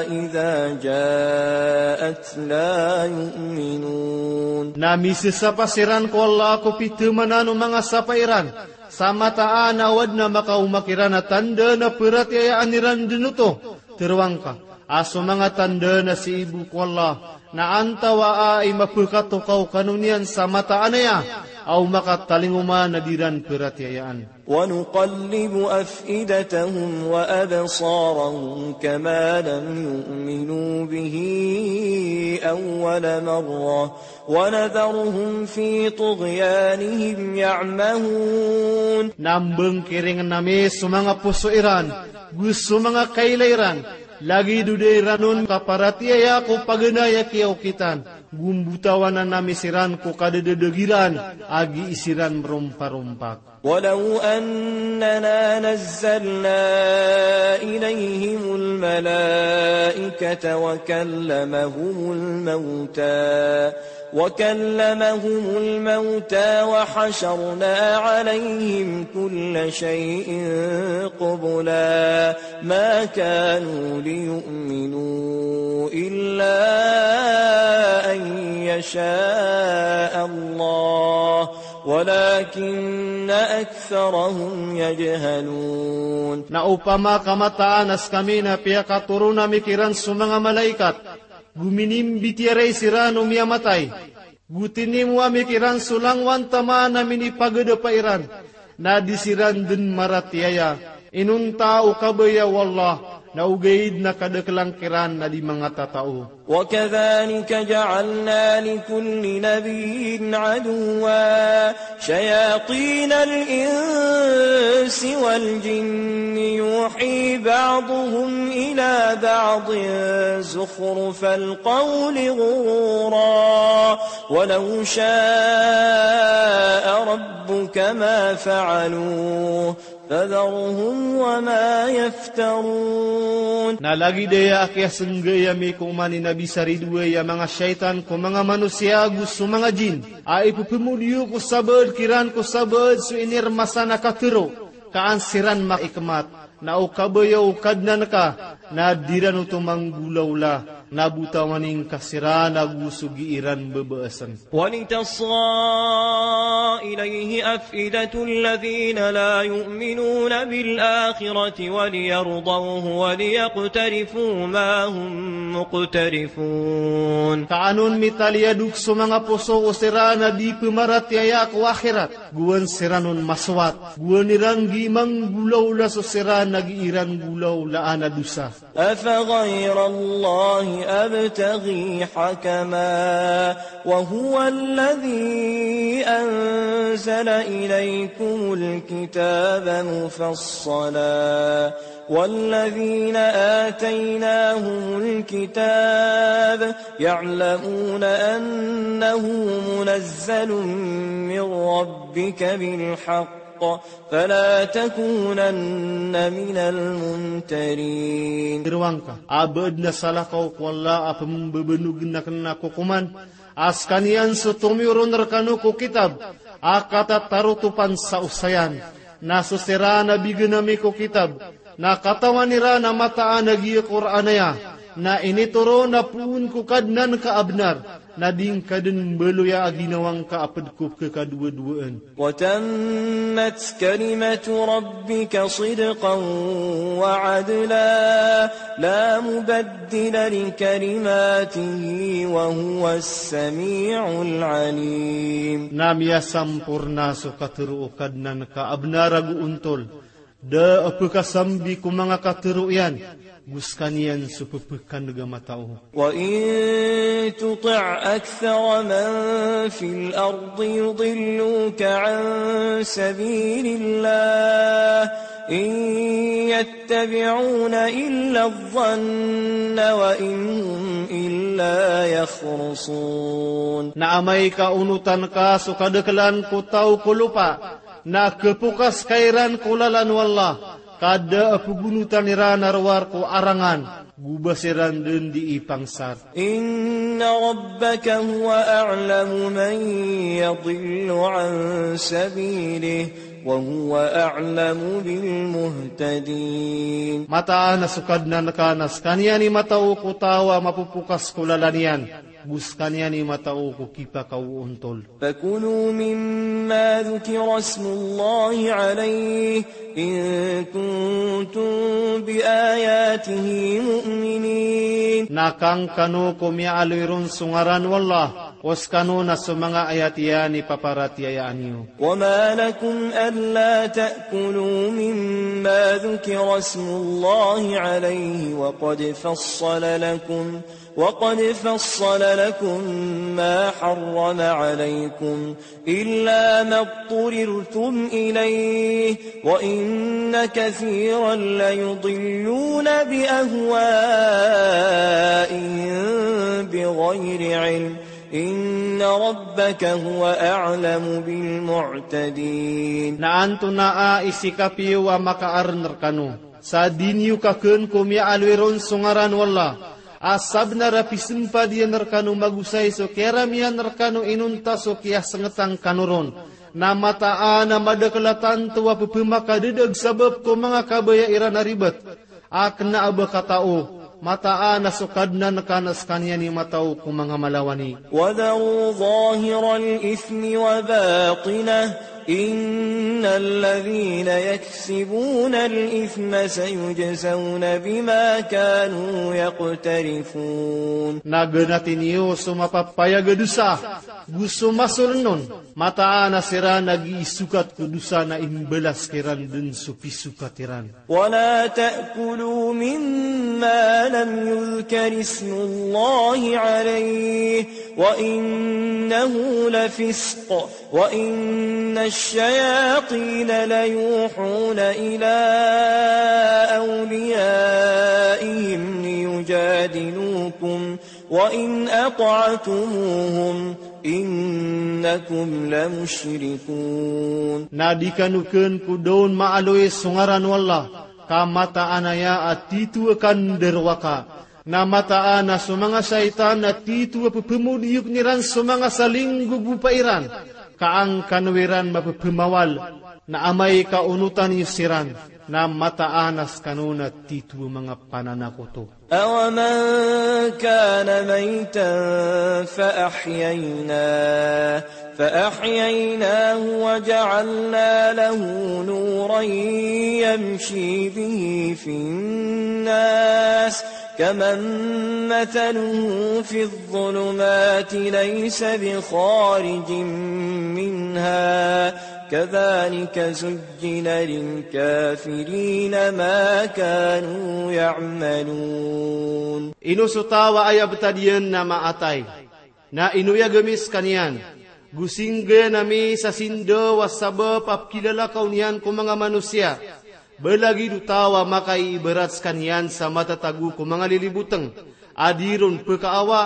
إذا جاءت لا يؤمنون. Na misasapa siran ko Allah ko pithamanan o manga sapa iran, sa mataan a o adn a makaoma kiran a tanda na paratiyayaan iran dn oto. Tharoa ngka a so manga tanda na sii bo ko Allah, na antawaa i mapkhatokaw kano niyan sa mataan aya a o makatalingoma na di ran paratiyayaan. ونقلب أفئدتهم وأبصارهم كما لم يؤمنوا به أول مرة ونذرهم في طغيانهم يعمهون. Na mbngkiringn ami so manga poso iran, go so manga kaila iran, lagid o da iran on kaparatiyaya ko paganay a kiyaokitan, go mbotawanan ami siran ko kadadadag iran a gii siran mromparompak. ولو أننا نزلنا إليهم الملائكة وكلمهم الموتى وكلمهم الموتى وحشرنا عليهم كل شيء قبلا ما كانوا ليؤمنوا إلا أن يشاء الله ولكن أكثرهم يجهلون. Na opama ka mataan a skami na piyakatoron ami kiran so manga malaikat, go minimbitiyarai siran o miyamatay, go tinimo ami kiran so langowan taman a minipagadapa iran, na di siran dn maratiyaya. Inonta o kabaya o Allah, na ogaid na kadaklan kiran a di manga tatao. وكذلك جعلنا لكل نبي عدوا شياطين الإنس والجن يوحي بعضهم إلى بعض زخرف القول غرورا ولو شاء ربك ما فعلوه فذرهم وما يفترون. Na lagid aya a kiyasnggai ami ko oman i Nabi sa ridoay a manga shaytan ko manga manosiya go so manga jin, a ipphmodiyo ko sabaad kiran ko sabaad so inirmasan a katharo, ka an siran maikmat. Na o kabaya o Kadnan ka, na di ran oto manggolawla, na botawani ngka siran ago so gii ran babaasn. ولتصغى إليه أفئدة الذين لا يؤمنون بالآخرة وليرضوه وليقترفوا ما هم مقترفون. Ka an on mitaliyadok so manga poso o siran a di pmaratiyaya ko akhirat, go an siran on masowat, go an iran gii manggolawla so siran na giiran golaolaan a dosa. أفغير الله أبتغي حكما وهو الذي أنزل إليكم الكتاب مفصلا والذين آتيناهم الكتاب يعلمون أنه منزل من ربك بالحق فلا تكونن من الممترين. Tharoang ka a ba adn a salakaw ko Allah a pmbabanogen aken a kokoman a sekaniyan so tomiyoron rekano ko kitab a katatarotopan sa osayan. Na so siran a bigan ami ko kitab na katawan iran a mataan a giya Qur'an aya na initoron a poon ko Kadnan ka a bnar, na di ngka den mbaloya a ginawang ka a ped ko pekakadowadowaan. وتمت كلمة ربك صدقا وعدلا لا مبدل لكلماته وهو السميع العليم. Na miyasamporna so katharo o Kadnan ka a bnar ago ontol. Da a pekasambi ko manga katharo iyan, go sekaniyan so pepekaneg a matao. وإن تطع أكثر من في الأرض يضلوك عن سبيل الله إن يتبعون إلا الظن وإن هم إلا يخرصون. Na amay ka onotan ka so kadaklan ko taw ko lopa, na kepokas ka iran ko lalan o Allah, ka da a pegonotan iran a rowar ko arangan, go ba siran den di ipangsar. إن ربك هو أعلم من يضل عن سبيله وهو أعلم بالمهتدين. Mataan a so Kadnan ka na sekaniyan i matao ko taw a mapopokas ko lalan iyan, go sekaniyan i matao ko kipakaoontol. فكلوا مما ذكر اسم الله عليه إن كنتم بآياته مؤمنين. Na kang kano ko miyaaloy ron so ngaran o Allah, o sekano na so manga ayat iyan i paparatiyayaan iyo. وما لكم ألا تأكلوا مما ذكر اسم الله عليه وقد فصل لكم وقد فصل لكم ما حرم عليكم إلا ما اضطررتم إليه وإن كثيرا ليضلون بأهوائهم بغير علم إن ربك هو أعلم بالمعتدين. Na antonaa i sikapiyo a makaaren rekano sa di niyo kakeen ko miyaaloy ron so ngaran o Allah, a sabnar a pisempad iyan rekano magosay so kiyaramiyan rekano inonta so kiyasengetan kano ron, na mataan a madakel a tanto a pepemakadadag sabap ko manga kabaya iran a ribat. A kena a ba katao, mataan a so Kadnan ka na sekaniyan i matao ko manga malawani. وذروا ظاهر الإثم وباطنه إن الذين يكسبون الإثم سيجزون بما كانوا يقترفون. Na ganati niyo so mapapayag a dosa, go so masoren on, mataan a siran a giisokat ko dosa na imbalas kiran den so pisokat iran. ولا تأكلوا مما لم يذكر اسم الله عليه وإنه لفسق وإن الشياطين ليوحون إلى أوليائهم ليجادلوكم وإن أطعتموهم إنكم لمشركون. Na di kano keen ko da on maaloy so ngaran o Allah, ka mataan aya a titho a kandarowaka. Na mataan a so manga shaytan a titho a pepemodiyoken iran so manga salinggogopa iran, ka an kano iran mapepemawal. Na amay ka onotan iyo siran, na mataan a sekano na titho a manga pananakoto. أومن كان ميتا فأحييناه، فأحييناه وجعلنا له نورا يمشي به في الناس كمن مثله في الظلمات ليس بخارج منها كذلك زين للكافرين ما كانوا يعملون. Ino so taw a aya btad iyan na maatay, na inoyag ami skaniyan, go singgay ami sa sindaw a sabap a pkilalakaw niyan ko manga manosiya. Ba lagid o taw a makaiibarat skaniyan sa matatago ko manga lilibotng a di ron pkaawa,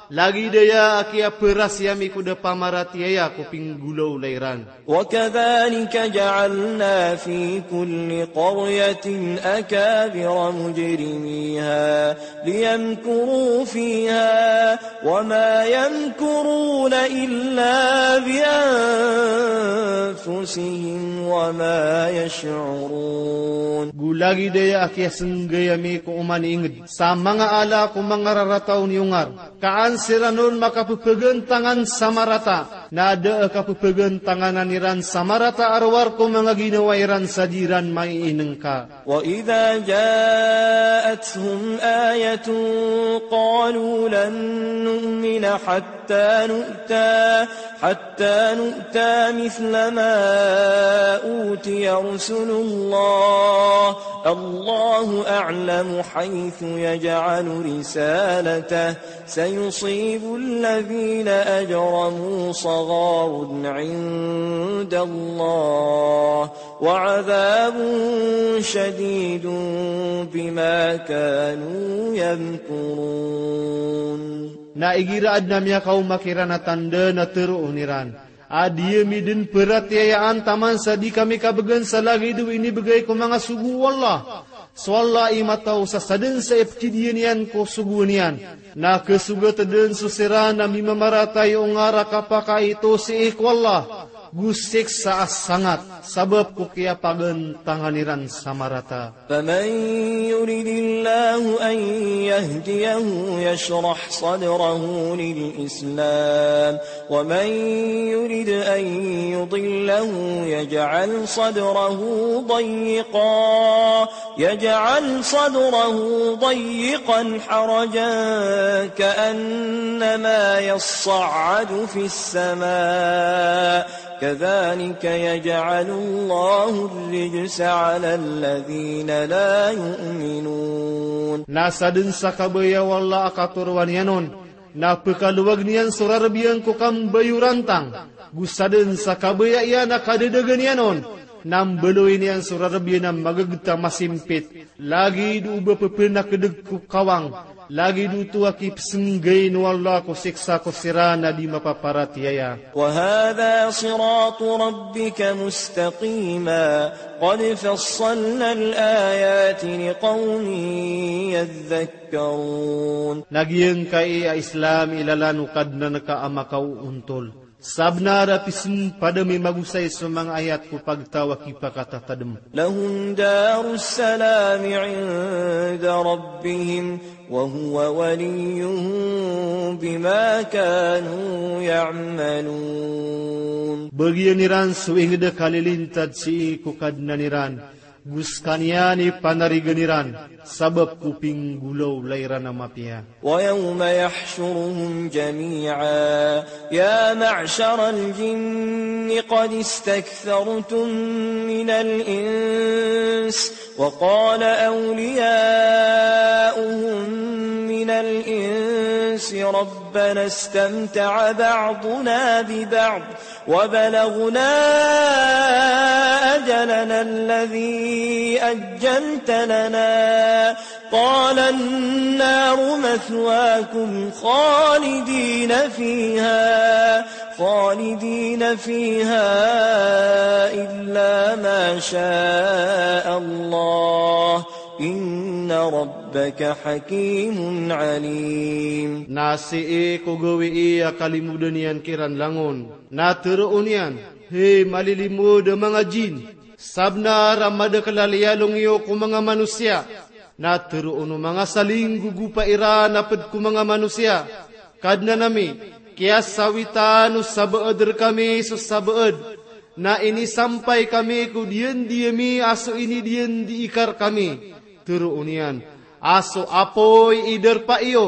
lagid aya a kiyaprasi ami ko da pamaratiyaya ko pinggolawla iran. وكذلك جعلنا في كل قرية أكابر مجرميها ليمكروا فيها وما يمكرون إلا بأنفسهم وما يشعرون. Go lagid aya a kiyasinggay ami ko oman i ingd sa manga ala ko manga rarata o niyongar, ka an siran on makapphgantangan sa marata, na da a kapphgantanganan iran sa marata a rowar ko manga ginawa iran sa di iran maiinngka. وإذا جاءتهم آية قالوا لن نؤمن حتى نؤتى، حتى نؤتى مثل ما أوتي رسل الله، الله أعلم حيث يجعل رسالته، سيصيب الذين أجرموا صغار عند الله وعذاب شديد بما كانوا يمكرون. Na igira adn a miyakaoma kiran a tanda na tharoon iran a di ami dn paratiyayaan taman sa di kami kabgan sa lagid o inibgay ko manga sogo o Allah. So Allah i mataw sa sadn sa ipkidiya niyan ko sogoan iyan. Na kasogat dn so siran a mimamaratiyaya o ngar a kapakaito sii ko Allah go siksa a sangat, sabap ko kiyapagantangan iran sa marata. فمن يرد الله أن يهديه يشرح صدره للإسلام، ومن يرد أن يضله يجعل صدره ضيقا، يجعل صدره ضيقا حرجا كأنما يصعد في السماء، كذلك يجعل الله الرجس على الذين لا يؤمنون. Na sadn sa kabaya o Allah a katoroan iyan on, na pkalowag niyan so rarb iyan ko kambayorantang. Go sadn sa kabaya iyan a kadadagan iyan on, na mbaloy niyan so rarb iyan a maggt a masimpit. Lagid o ba pphanakdg ko kawang, lagid oto a kipsnggayn o Allah ko siksa ko siran a di mapaparatiyaya. وهذا صراط ربك مستقيما قد فصلنا الآيات لقوم يذكرون. Na giyangkai a Islam i lalan o Kadnan ka a makaoontol. Sabnar a pismpad ami magosay so manga ayat ko pagtaw a kipakatatadm. لهم دار السلام عند ربهم وهو وليهم بما كانوا يعملون. Bagian iran so ingd a kalilintad sii ko Kadnan iran, go skaniyan i panarigan iran, sabap ko pinggolawla iran a mapiya. ويوم يحشرهم جميعا يا معشر الجن قد استكثرتم من الإنس، وقال أولياؤهم من الإنس ربنا استمتع بعضنا ببعض وبلغنا أجلنا الذي أجلت لنا، قال النار مثواكم خالدين فيها، خالدين فيها إلا ما شاء الله، إن ربك حكيم عليم. Na sii ko gawii a kalimodan iyan kiran langon, na tharoon iyan, hay malilimod a manga jin, sabnar a madakl a liyalong iyo ko manga manosiya. Na tharoon o manga salinggogopa iran a pd ko manga manosiya, Kadnan ami, kiyasawitan o sabaad rkami so sabaad, na inisampay kami ko diyandi ami a so inidiyandi ika rkami. Tharoon iyan a so apoy i darpa iyo,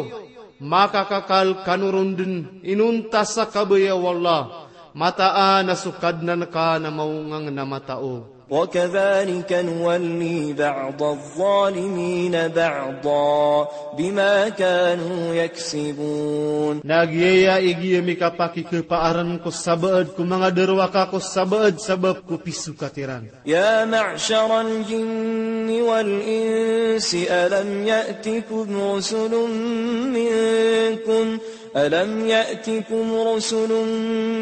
makakakal kano ron dn inonta sa kabaya o Allah. Mataan a so Kadnan ka na maongangn a mataw. وكذلك نولي بعض الظالمين بعضا بما كانوا يكسبون. Na giyaya i giya mikapakikhapaarn ko sabaad ko manga darowaka ko sabaad sabap ko pisokat iran. يا معشر الجن والإنس ألم يأتكم رسل منكم ألم يأتكم رسل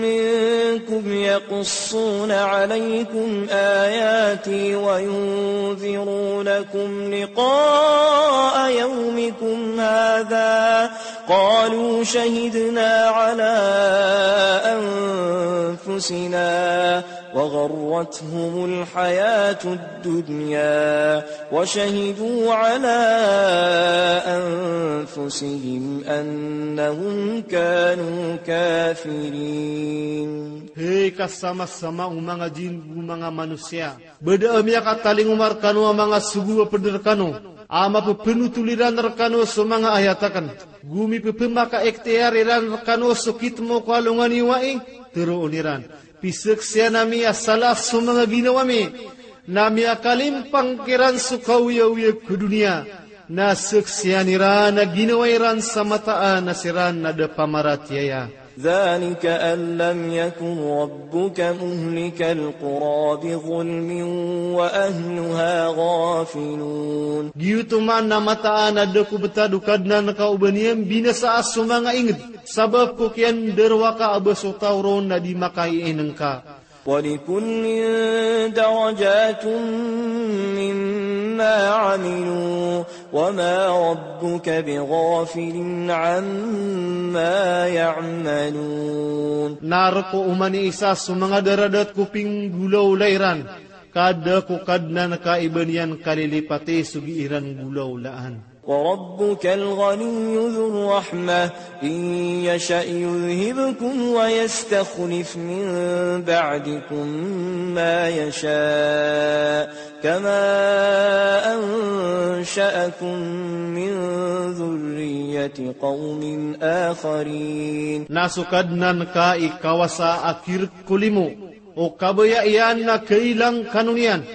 منكم يقصون عليكم آياتي وينذرونكم لقاء يومكم هذا قالوا شهدنا على أنفسنا وغرتهم الحياة الدنيا وشهدوا على أنفسهم أنهم كانوا كافرين. Hay kasamasama o manga jin go manga manosiya, bada a miyakatalingoma rkano a manga sogo a pd rkano a mapphanothol iran rkano so manga ayat akn, go mipphamakaikhtiyar iran rkano so kitmo ko alongan i wai, tharoon iran, pizaksian ami a sala so manga ginawa mi, na miyakalimpang kiran so kaoyagoyag ko doniya, na zaksian iran a ginawa iran sa mataan a siran na da pamaratiyaya. ذلك أن لم يكن ربك مهلك القرى بظلم وأهلها غافلون. Giyoto man na mataan a da ko btad o Kadnan ka o ba niyan binasaa so manga ingd, sabap ko kiyandarowaka a ba so taw ron na di makaiinngka. ولكل درجات مما عملوا وما ربك بغافل عما يعملون. Na rk o oman i isa so manga daradat ko pinggolawla iran, ka da ko Kadnan ka i ba niyan kalilipati so gii ran golawlaan. وربك الغني ذو الرحمة إن يشأ يذهبكم ويستخلف من بعدكم ما يشاء كما أنشأكم من ذرية قوم آخرين. Na so Kadnan ka i kawasa a kirk ko limo, o kabaya iyan na kailang kano niyan,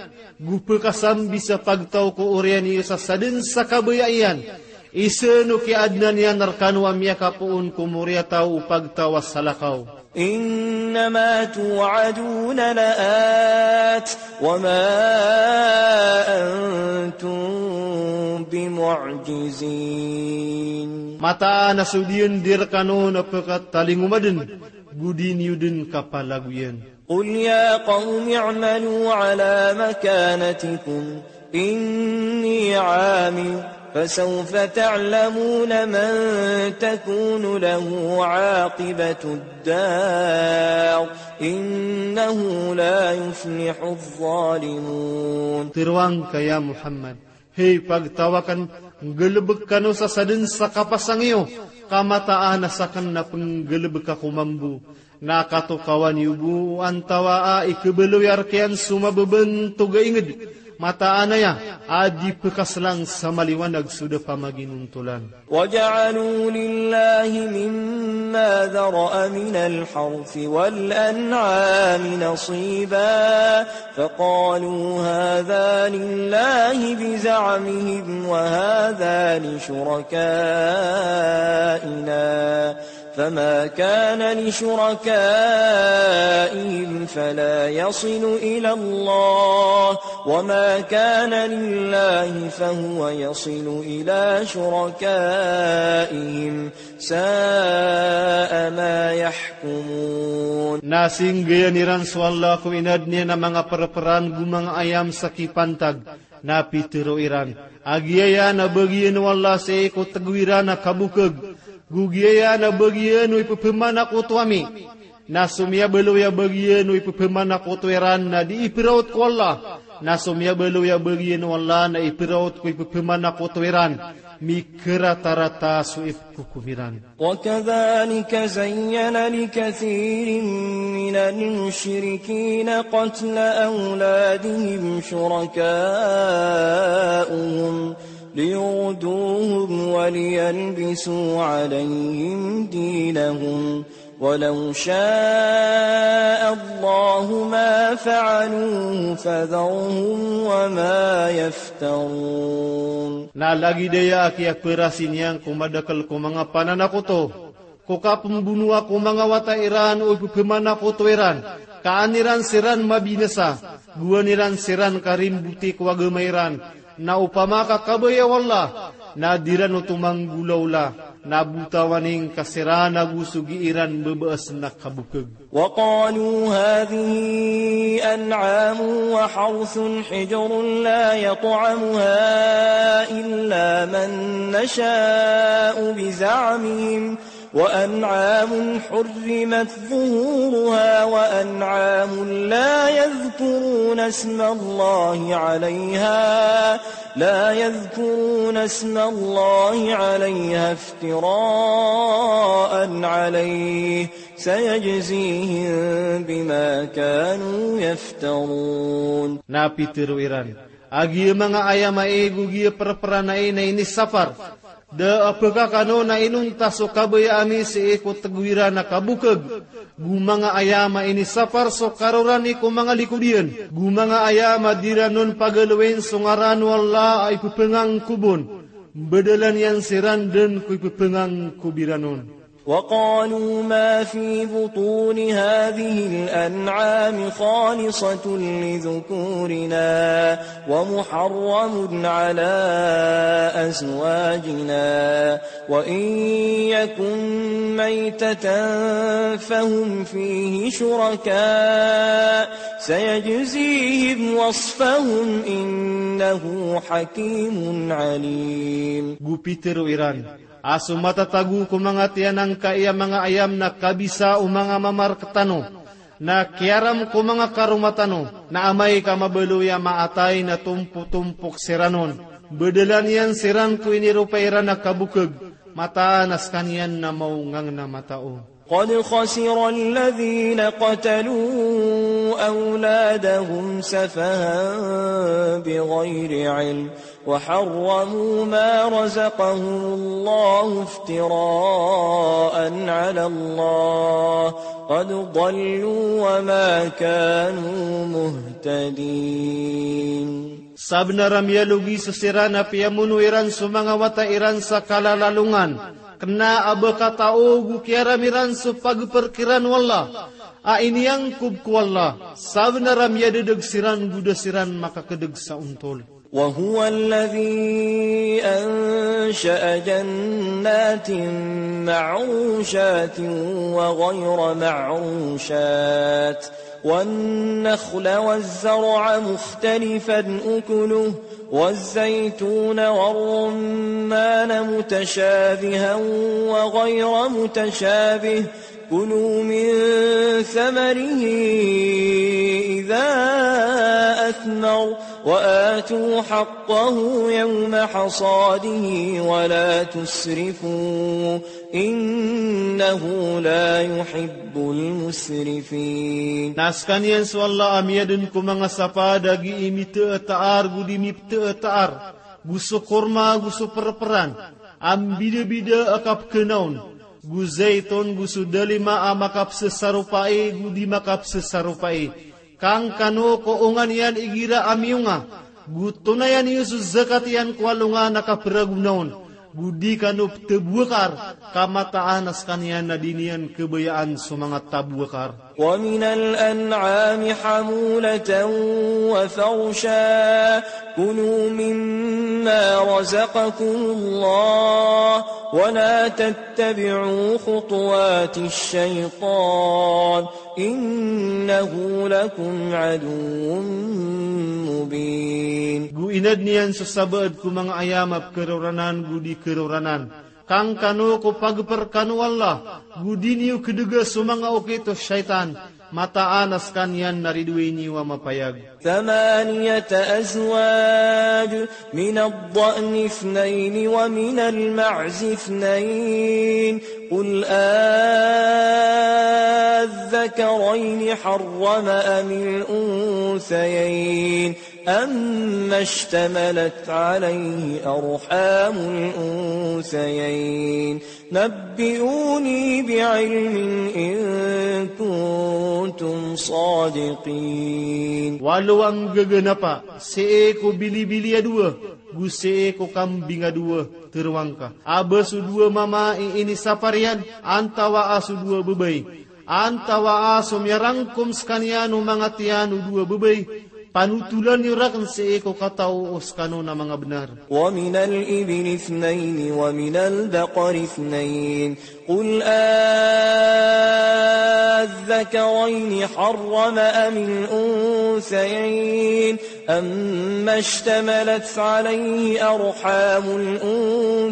go pkasambi sa pagtaw ko oriyan iyo sa sadn sa kabaya iyan, isa no kiyaadna niyan rkano a miyakapoon ko moriyataw o pagtaw a salakaw. إنما توعدون لآت وما أنتم بمعجزين. Mataan a so diyandi rkano na pkatalingoma dn, go di niyo dn kapalagoyan. قل يا قوم اعملوا على مكانتكم إني عامل فسوف تعلمون من تكون له عاقبة الدار إنه لا يفلح الظالمون. Tharoang ka ya Muhammad, hay pagtaw akn, nggalbk kano sa sadn sa kapasang iyo, ka mataan a sakn na pnggalbka ko mambo, na katokawan iyo bo o antawaa i khabaloy a rk iyan so mababantog a ingd, mataan aya a di pkaslang sa maliwanag so da pamaginontolan. وجعلوا لله مما ذرأ من الحرث والأنعام نصيبا فقالوا هذا لله بزعمهم وهذا لشركائنا فما كان لشركائهم فلا يصل إلى الله وما كان لله فهو يصل إلى شركائهم ساء ما يحكمون. Na singgayan iran so Allah ko inadn iyan a manga prpran go manga ayam sa kipantag, na pitharo iran a giyayan a bagian o Allah sii ko tgo iran a kabokg, go giyayan a bagian o ipphamanakoto ami. Na so miyabaloy a bagian o ipphamanakoto iran na di ipraot ko Allah, na so miyabaloy a bagian o Allah na ipraot ko ipphamanakoto iran, mikaratarata so ipkokom iran. وكذلك زين لكثير من المشركين قتل أولادهم شركاؤهم ليردوهم وليلبسوا عليهم دينهم ولو شاء الله ما فعلوه فذرهم وما يفترون. Na lagid aya a kiyaperasi niyan ko madakel ko manga pananakoto ko kapembonoa ko manga wata iran o ipepemanakoto iran, ka an iran siran mabinasa, go an iran siran karimboti ko agama iran, na opama ka kabaya o Allah, na di ran oto manggolaola, na botawan ingka siran ago so gii iran bebees na kabokeg. وقالوا هذه أنعام وحرث حجر لا يطعمها إلا من نشاء بزعمهم وأنعام حرمت ظهورها وأنعام لا يذكرون اسم الله عليها، لا يذكرون اسم الله عليها افتراء عليه، سيجزيهم بما كانوا يفترون. Na pitero iran, a giya manga ayam ai go giya perperan ai na inisapar, da a pekakano na inonta so kabaya ami sii ko tego iran a kabokeg, go manga ayam a inisapar so karorani ko manga likod iyan, go manga ayam a di ran on pagalowin so ngaran o Allah a ipepengangkob on, mbedelan iyan siran den ko ipepengangkob iran on. وقالوا ما في بطون هذه الأنعام خالصة لذكورنا ومحرم على أزواجنا وإن يكن ميتة فهم فيه شركاء سيجزيهم وصفهم إنه حكيم عليم. Go pitero iran, a so matatago ko manga tiyan angkaya manga ayam na kabisa o manga mamar ketano, na kiyaram ko manga karoma tano, na amay ka mabaloy a maatay na tompotompok siran on, mbedelan iyan siran ko iniropa iran a kabokeg, mataan a sekaniyan na maongangn a matao. قد خسر الذين قتلوا أولادهم سفها بغير علم وحرموا ما رزقهم الله افتراء على الله قد ضلوا وما كانوا مهتدين. Sabenar a miyalogi so siran a piyamono iran so manga wata iran sa kalalalongan, kena a ba katao go kiyaram iran so pageper kiran o Allah a iniyangkob ko Allah. Sabenar a miyadedeg siran go da siran makakedeg sa ontol. وهو الذي أنشأ جنات معروشات وغير معروشات والنخل والزرع مختلفا أكله والزيتون والرمان متشابها وغير متشابه كلوا من ثمره إذا أثمر وآتوا حقه يوم حصاده ولا تسرفوا إنه لا يحب المسرفين. Na sekaniyan so Allah a miyaden ko manga sapaad a gii mitetaar go di mipetetaar, go so korma, go so perperan a mbidabida a kapekena on, go zaiton, go so dalima a makapesesaropai go di makapesesaropai. Kangkano ko onga niyan igira a miyonga, go tonayan iyo so zakat iyan ko alongan a kaperagona on, go di kano petebowakar, ka mataan a sekaniyan na di niyan kebayaan so manga tabowakar. ومن الأنعام حمولة وفرشا كلوا مما رزقكم الله ولا تتبعوا خطوات الشيطان إنه لكم عدو مبين. Go inadn iyan so sabaad ko manga ayam a pekeroranan go di keroranan. Kangkano ko pageper kano o Allah, go di niyo kedega so manga okit o shaitan, mataan a sekaniyan na ridoay niyo a mapayag. ثمانية أزواج من الضأن اثنين ومن المعز اثنين قل أذكرين حرم أم الأنثيين أما اشتملت عليه أرحام الأنثيين نبئوني بعلم إن كنتم صادقين. Walo a nggaganapa sii ko bilibili a dowa, go sii ko kambing a dowa, tero angka. A ba so dowa mama i inisapar iyan, antawaa so dowa babay. Antawaa so miyarangkom sekaniyan o manga tiyan o dowa babay, panotolan iyo raken sii ko katao o sekano na manga benar. ومن الإبل اثنين ومن البقر اثنين قل أذكرين حرم أم الأنثيين أما اشتملت عليه أرحام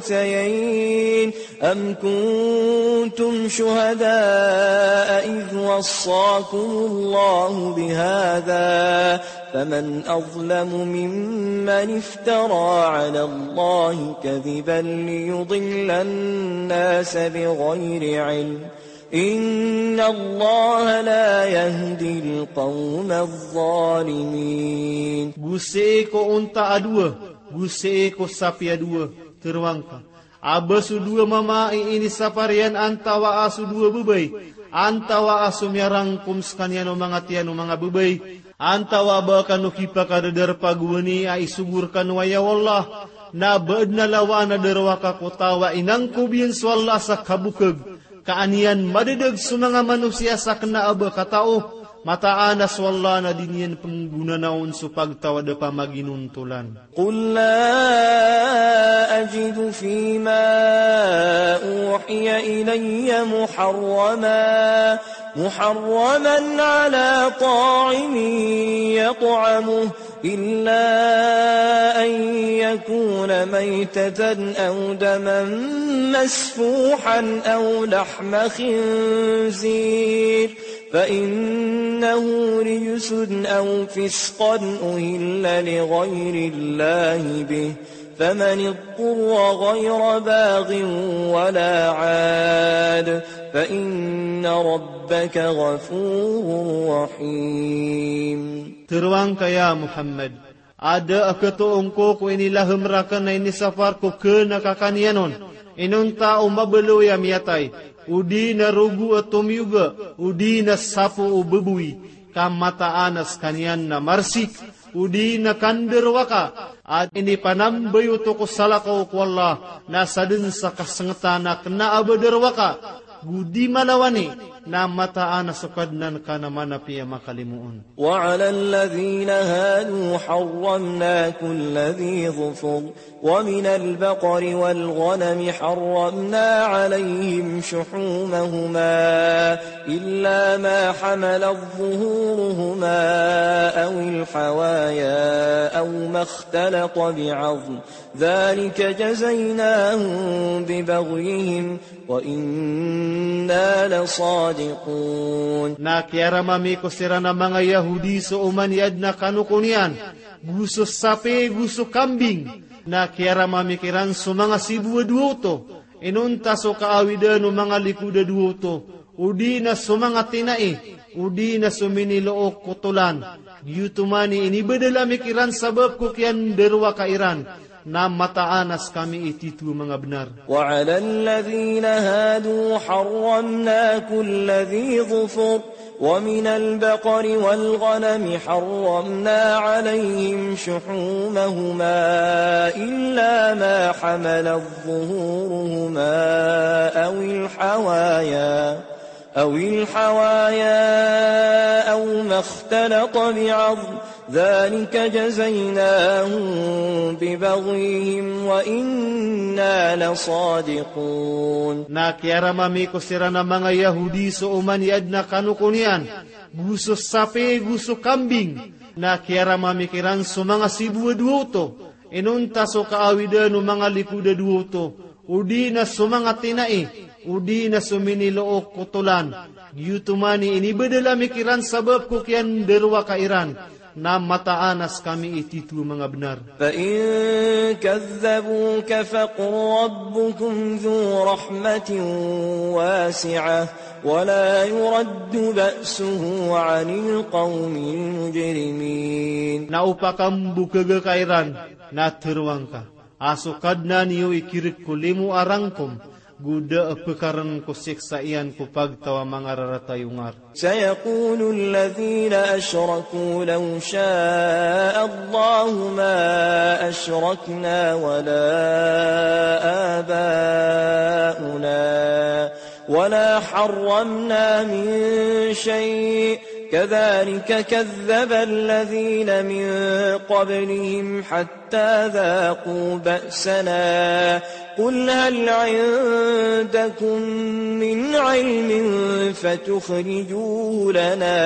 الأنثيين أم كنتم شهداء إذ وصاكم الله بهذا فمن أظلم ممن افترى على الله كذبا ليضل الناس بغير علم إن الله لا يهدي القوم الظالمين. Go sii ko onta a dowa, go sii ko sapi a dowa, tero angka. A ba so dowa mama i inisapar iyan antawaa so dowa babay, antawaa so miyarangkom sekaniyan o manga tiyan o manga babay, antawaa ba kano kipakadadarpa gowani a isogo rekano aya o Allah, na ba aden a lawan a darowaka ko taw a inangkob iyan so Allah sa kabokeg, ka an iyan madadag so manga manosiya sa kena a ba katao, mataan a so Allah na di niyan penggonanaon so pagtaw a da pamaginontolan. قل لا أجد فيما أوحي إلي محرما، محرما على طاعم يطعمه إلا أن يكون ميتة أو دما مسفوحا أو لحم خنزير فإنه رجس أو فسقا أهل لغير الله به فمن اضطر غير باغ ولا عاد فإن ربك غفور رحيم. Tero angka ya Muhammad, a da a ketoon ko ko inilahem raken a inisapar ko kena kakaniyan on, inonta o mabaloy a miyatay, odi na rogo a tomiyoga, odi na sapo o baboy, ka mataan a sekaniyan na marsik, odi na kandarowaka, a inipanambayoto ko salakaw ko Allah, na saden sa kasengetan a kena a ba darowaka, go di malawani, na mataan a so Kadnan ka na manapiya makalimoon. وعلى الذين هادوا حرمنا كل ذي ظفر ومن البقر والغنم حرمنا عليهم شحومهما إلا ما حملت ظهورهما أو الحوايا أو ما اختلط بعظم ذلك جزيناهم ببغيهم وإنا لصادقون. Na kiyarama mi ko siran a manga Yahudi so oman i aden a kanokon iyan, go so sapi, go so kambing. Na kiyarama mi kiran so manga sibo a dowa oto, inonta so kaawidan o manga likod a dowa oto, odi na so manga tinai, odi na so minilook ko tolan. Giyoto man i inibedel ami kiran sabap ko kiyandarowaka iran, na mataan a sekami i tito a manga benar. وعلى الذين هادوا حرمنا كل ذي ظفر ومن البقر والغنم حرمنا عليهم شحومهما إلا ما حملت ظهورهما أو الحوايا أو الحوايا أو ما اختلط بعظم ذلك جزيناهم ببغيهم وإنا لصادقون. Na kiyarama mi ko siran a manga Yahudi so oman i aden a kanokon iyan, go so sapi, go so kambing. Na kiyarama mi kiran so manga sibo a dowa oto, inonta so kaawidan o manga likod a dowa oto, odi na so manga tinai, odi na so minilook ko tolan. Giyoto man i inibedel ami kiran sabap ko kiyandarowaka iran, Na mataan a skami i titho a manga bnar. فإن كذبوك فقل ربكم ذو رحمة واسعة ولا يرد بأسه عن القوم المجرمين. Na o pakambokhag ka iran, na tharoang ka a so Kadnan iyo i khirk ko limo a rangkom, go da a pkharn ko siksa iyan ko pagtaw a manga rarata i ongar. سيقول الذين أشركوا لو شاء الله ما أشركنا ولا آباؤنا ولا حرمنا من شيء كذلك كذب الذين من قبلهم حتى ذاقوا بأسنا قل هل عندكم من علم فتخرجوه لنا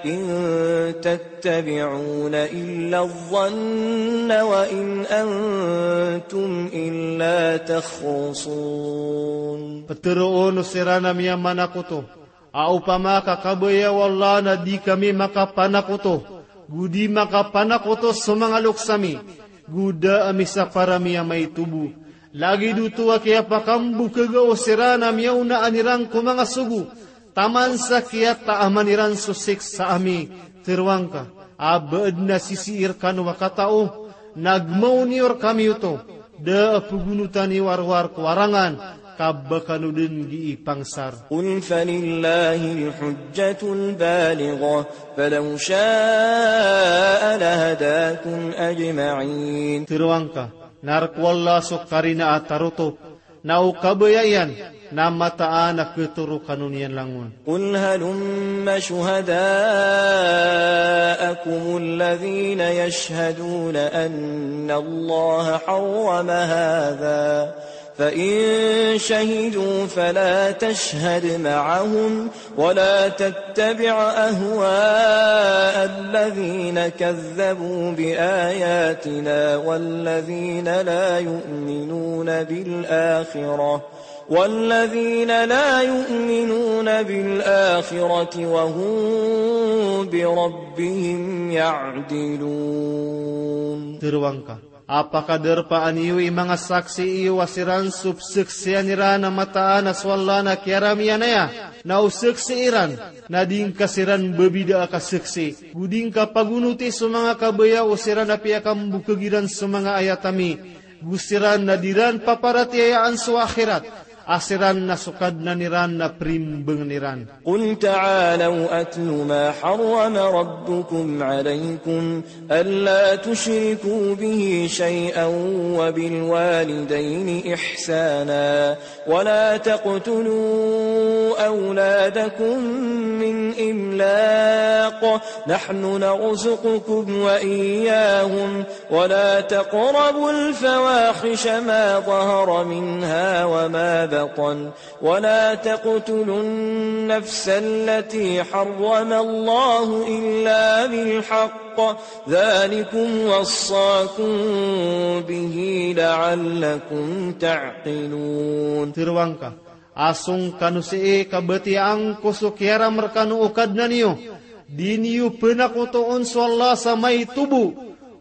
إن تتبعون إلا الظن وإن أنتم إلا تخرصون. Ptharoon o siran a miyamanakoto a opama ka kabaya o Allah na di kami makapanakoto, go di makapanakoto so manga loks ami, go da a misapar ami a maito bo. Lagid oto a kiyapakambokhag o siran a miyaonaan iran ko manga sogo, taman sa kiyataaman iran so siksa ami, tharoang ka a ba adn a sisii rkano a katao, na gmaw niyo rkami oto, da a pgonotan iyo a rowar ko arangan, ka ba kano dn gii pangsar. قل فلله الحجة البالغة فلو شاء لهداكم أجمعين. Tharoang ka, na rk o Allah so karina a tarotop, na o kabaya iyan na mataan a khatoro kano niyan langon. قل هلم شهداءكم الذين يشهدون أن الله حرم هذا فإن شهدوا فلا تشهد معهم ولا تتبع أهواء الذين كذبوا بآياتنا والذين لا يؤمنون بالآخرة والذين لا يؤمنون بالآخرة وهم بربهم يعدلون. Tharoang ka a pakadarpaan iyo i manga saksi iyo a siran so pzaksian iran a mataan a so Allah na kiyarami iyan aya, na o saksi iran na di ngka siran babida a kasaksi, go di ngka pagonoti so manga kabaya o siran a piyakambokhag iran so manga ayat ami, go siran na di ran paparatiyayaan so akhirat, a siran na so Kadnan iran na primbangn iran. قل تعالوا أتل ما حرم ربكم عليكم ألا تشركوا به شيئا وبالوالدين إحسانا ولا تقتلوا أولادكم من إملاق نحن نرزقكم وإياهم ولا تقربوا الفواحش ما ظهر منها وما بطن ولا تقتلوا النفس التي حرم الله إلا بالحق ذلكم وصاكم به لعلكم تعقلون. Tharoang ka a song kano sii ka batiyaan ko so kiyaram rkano o Kadnan iyo, di niyo panakotoon so Allah sa maito bo,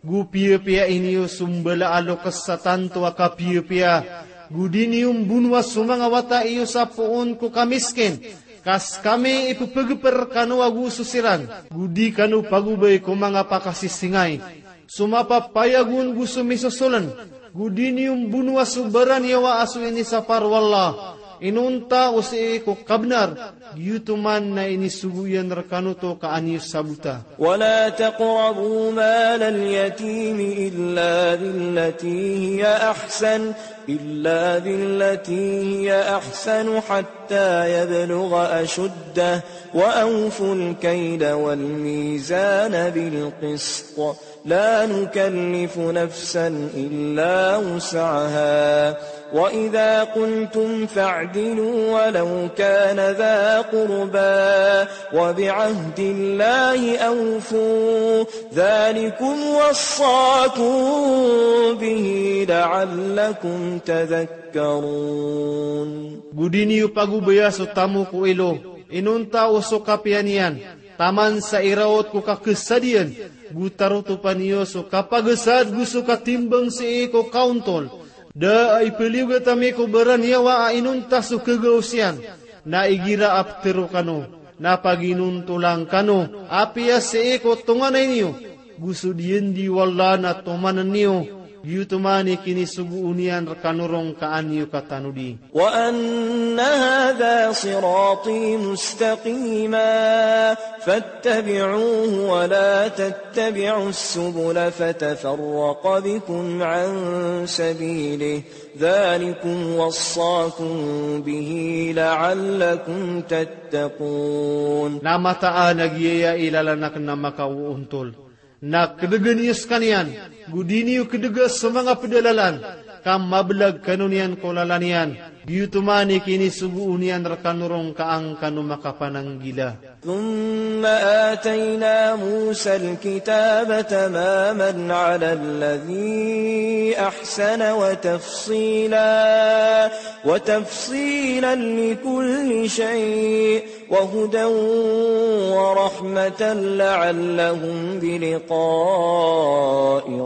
go piyapiya iniyo so mbala a loks sa tanto a kapiyapiya, go di niyo mbonoa so manga wata iyo sa poon ko kamiskin, ka skami i pphagpr rkano ago so siran, go di kano pagobay ko manga pakasisingay. So mapapayag on go so misosoln, go di niyo mbonoa so baraniyawa a so inisapar o Allah, inonta o sii ko kabnar, giyoto man na inisogo iyan rkano oto ka an iyo sabota. ولا تقربوا مال اليتيم إلا بالتي هي أحسن، إلا بالتي هي أحسن حتى يبلغ أشده، وأوفوا الكيل والميزان بالقسط، لا نكلف نفسا إلا وسعها، وإذا قلتم فاعدلوا ولو كان ذا قربى، وبعهد الله أوفوا، ذلكم وصاكم به لعلكم تذكرون. Go di niyo pagobaya so tamok o ilo, inonta o so kapiya niyan, Taman sa iraot ko kakesadiyan, go tarotopan iyo so kapagesad go so katimbang sii ko kaontol. Da a ipeliyogat ami ko baraniyawa a inonta so kagaos iyan, na igira a petero kano, na paginontolan kano, apiya sii ko tonganay niyo, go so diyandiyo Allah na tomanen iyo, giyoto man i kinisogoon iyan rekano roo ka an iyo katanodi. وأن هذا صراطي مستقيما فاتبعوه ولا تتبعوا السبل فتفرق بكم عن سبيله ذلكم وصاكم به لعلكم تتقون. Na mataan a giyaya i lalan aken a makaoontol. Na kedegen iyo sekaniyan, go di niyo kedega so manga pedalalan, ka mabelag kano niyan ko lalan iyan, giyoto man i kinisogoon iyan rekano roo ka an kano makapananggila. ثم آتينا موسى الكتاب تماما على الذي أحسن وتفصيلا، وتفصيلا لكل شيء، وهدى ورحمة لعلهم بلقاء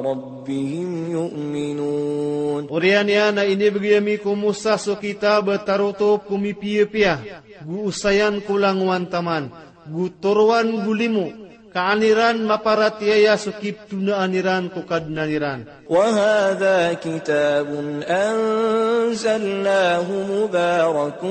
ربهم يؤمنون. Oriyan iyan a inibegay ami ko Musa so kitab a tarotop ko mipiyapiya, go osayan ko langowan taman, go torowan go limo, ka an iran maparatiyaya so kiptonaan iran ko Kadnan iran. وهذا كتاب أنزلناه مبارك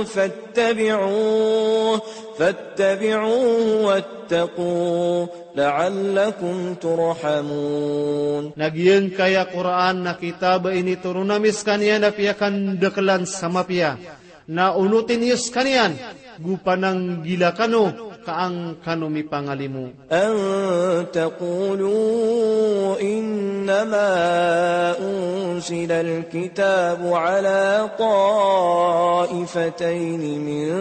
فاتبعوه، فاتبعوه واتقوا لعلكم ترحمون. Na giyangkaya Qur'an na kitab a initoron ami sekaniyan a piyakandakelan sa mapiya. Na onoti niyo sekaniyan, go pananggila kano, ka an kano mipangalimo. أن تقولوا إنما أنزل الكتاب على طائفتين من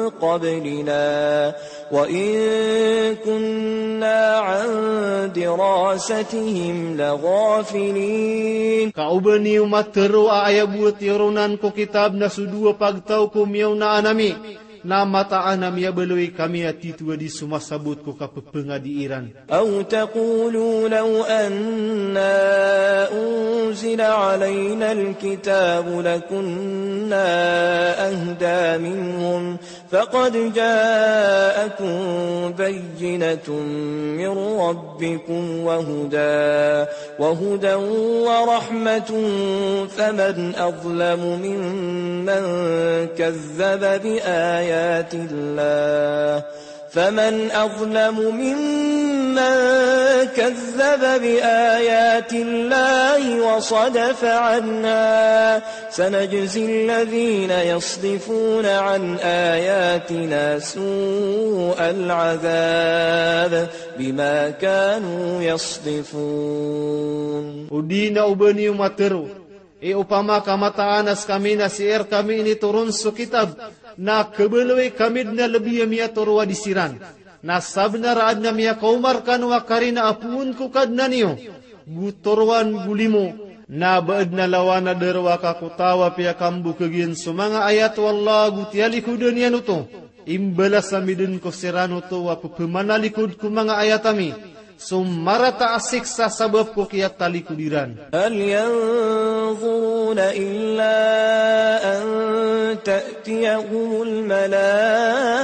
قبلنا وإن كنا عن دراستهم لغافلين. Ka oba niyo matero a aya bo a tiyoronan ko kitab na so dowa pagtaw ko miyaonaan ami, na mataan a miyabaloy kami a titho a di somasabot ko kapepengadi iran. أو تقولوا لو أنا أنزل علينا الكتاب لكنا أهدى منهم فقد جاءكم بينة من ربكم وهدى، وهدى ورحمة، فمن أظلم ممن كذب بآيات الله، فمن أظلم ممن كذب بآيات الله وصدف عنها، سنجزي الذين يصدفون عن آياتنا سوء العذاب بما كانوا يصدفون. O di na oba niyo matero, i opama ka mataan a sekami na sii rekami initoron so kitab, na kebaloy kami den a lebi a miyatoro a di siran. Na sabenar a aden a miyakaoma rekano a karina a poon ko Kadnan iyo, go torowan go limo, na ba aden a lawan a darowaka ko taw a piyakambokeg iyan so manga ayat o Allah go tiyalikodan iyan oto. Imbalas ami den ko siran oto a pepemanalikod ko manga ayat ami so marata a siksa sabap ko kiyatalikod iran. هل ينظرون إلا أن تأتيهم الملائكة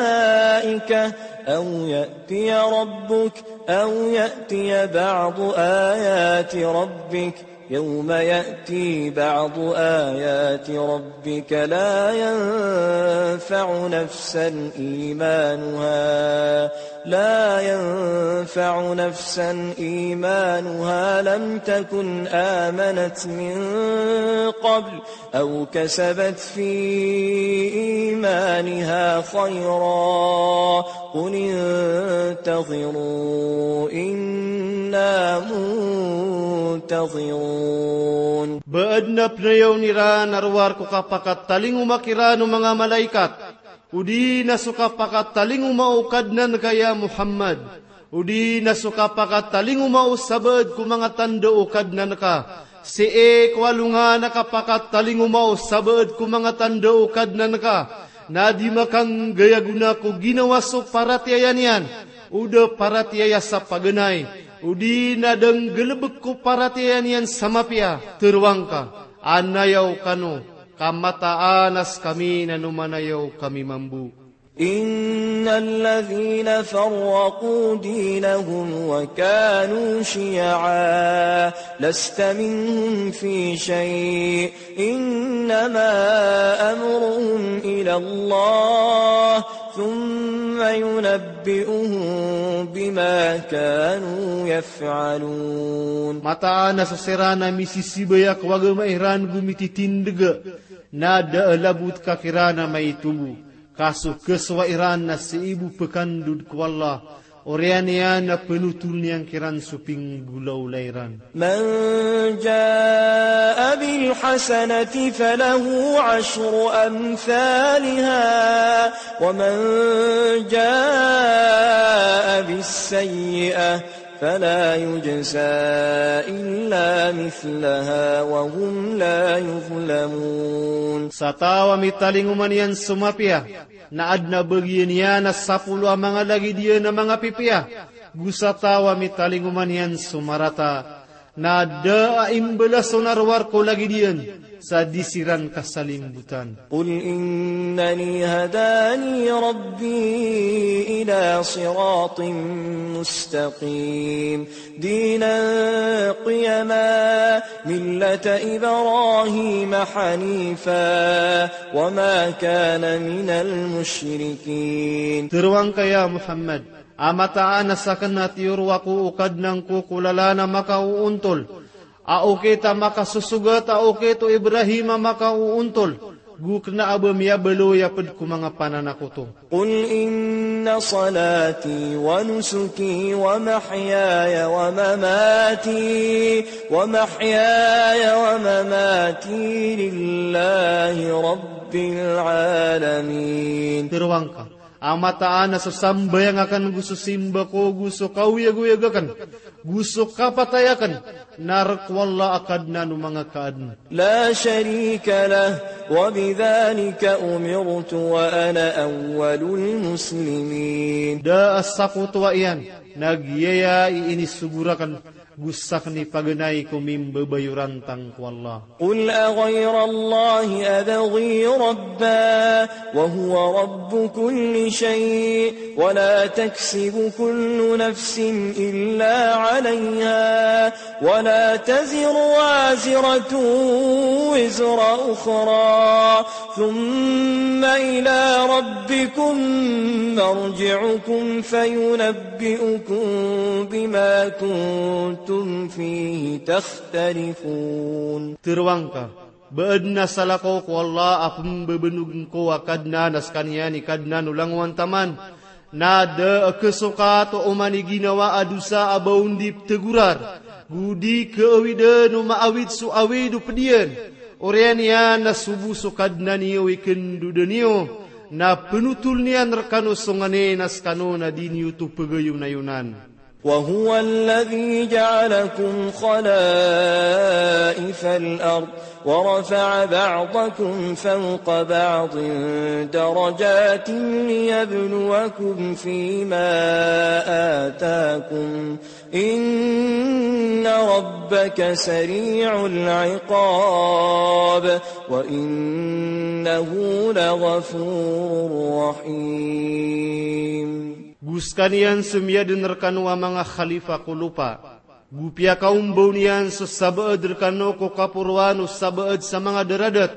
أو يأتي ربك أو يأتي بعض آيات ربك يوم يأتي بعض آيات ربك لا ينفع نفسا إيمانها، لا ينفع نفسا إيمانها لم تكن آمنت من قبل أو كسبت في إيمانها خيرا قل انتظروا إنا منتظرون. Ba aden a penayawn iran a rowar ko kapakatalingoma kiran o manga malaikat, odi na so kapakatalingoma o Kadnan ka ya Muhammad, odi na so kapakatalingoma o sabaad ko manga tanda o Kadnan ka, sii ko alongan a kapakatalingoma o sabaad ko manga tanda o Kadnan ka, na di makanggay a gona ko ginawa so paratiyaya niyan, O da paratiyaya sa paganay, odi na da nggalbk ko paratiyaya niyan sa mapiya, tharoang ka, anayaw kano, ka mataan a skami na no manayaw kami mambo. إن الذين فرقوا دينهم وكانوا شيعا لست منهم في شيء إنما أمرهم إلى الله ثم ينبئهم بما كانوا يفعلون. Mataan a so siran a misisibaya ko agama iran go mititindga, na da a labot ka kiran a maito bo, ka so khasowa iran na sii bo pkandod ko Allah, oriyan iyan na pnotol iyan kiran so pinggolawla iran. من جاء بالحسنة فله عشر أمثالها ومن جاء بالسيئة فلا يجزى إلا مثلها وهم لا يظلمون. Sa taw a mitalingoman iyan so mapiya, na adn a bagian iyan a sapolo a manga lagid iyan a manga pipiya. Go sa taw a mitalingoman iyan so marata, na da a imbalas on a rowar ko lagid iyan sa di siran kasalimbotan. قل إنني هداني ربي إلى صراط مستقيم دينا قيما ملة إبراهيم حنيفا وما كان من المشركين. Tharoang ka ya Muhammad, a mataan a sakn a tiyoro ako o Kadnan ko ko lalan a makaoontol, a okit a makasosogat a okit o Ibrahim a makaoontol, go kna a ba miyabaloy a pd ko manga pananakoto. قل إن صلاتي ونسكي ومحياي ومماتي ومحياي ومماتي لله رب العالمين. Tharoang ka, a mataan a so sambayang akn go so simba ko go so kaoyagoyag akn go so kapatay akn na rk o Allah a Kadnan o manga kaadn. لا شريك له وبذلك أمرت وأنا أول المسلمين. Da a sakotowa iyan, na giyaya i inisogo rakn, go sakn i paganay ko mimbabayorantang ko Allah. قل أغير الله أبغي ربا وهو رب كل شيء ولا تكسب كل نفس إلا عليها ولا تزر وازرة وزر أخرى ثم إلى ربكم مرجعكم فينبئكم بما كنتم فيه تختلفون. Tharoang ka, ba adn a salakaw ko Allah a pmbabanogn ko a Kadnan a skaniyan i Kadnan o langowan taman, na da a khasokat o oman i ginawa a dosa a ba on di pthagorar, go di khaawidn o maawid so awid o pd iyan. Oriyan iyan na so bo so Kadnan iyo i khandodan iyo, na pnotol iyan rkano so nganin a skano na di niyo oto pagayonayonan. وهو الذي جعلكم خلائف الأرض ورفع بعضكم فوق بعض درجات ليبلوكم فيما آتاكم إن ربك سريع العقاب وإنه لغفور رحيم. Go skaniyan so miyadn rkano a manga khalifa ko lopa, go piyakaombaw niyan so sabaad rkano ko kaporoan o sabaad sa manga daradat,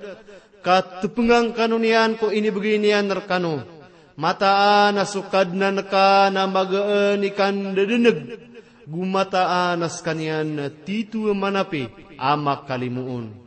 ka tpngan kano niyan ko inibgay niyan rkano. Mataan a so Kadnan ka na magaan i kandadneg, go mataan a skaniyan na tito a manapi a makalimoon.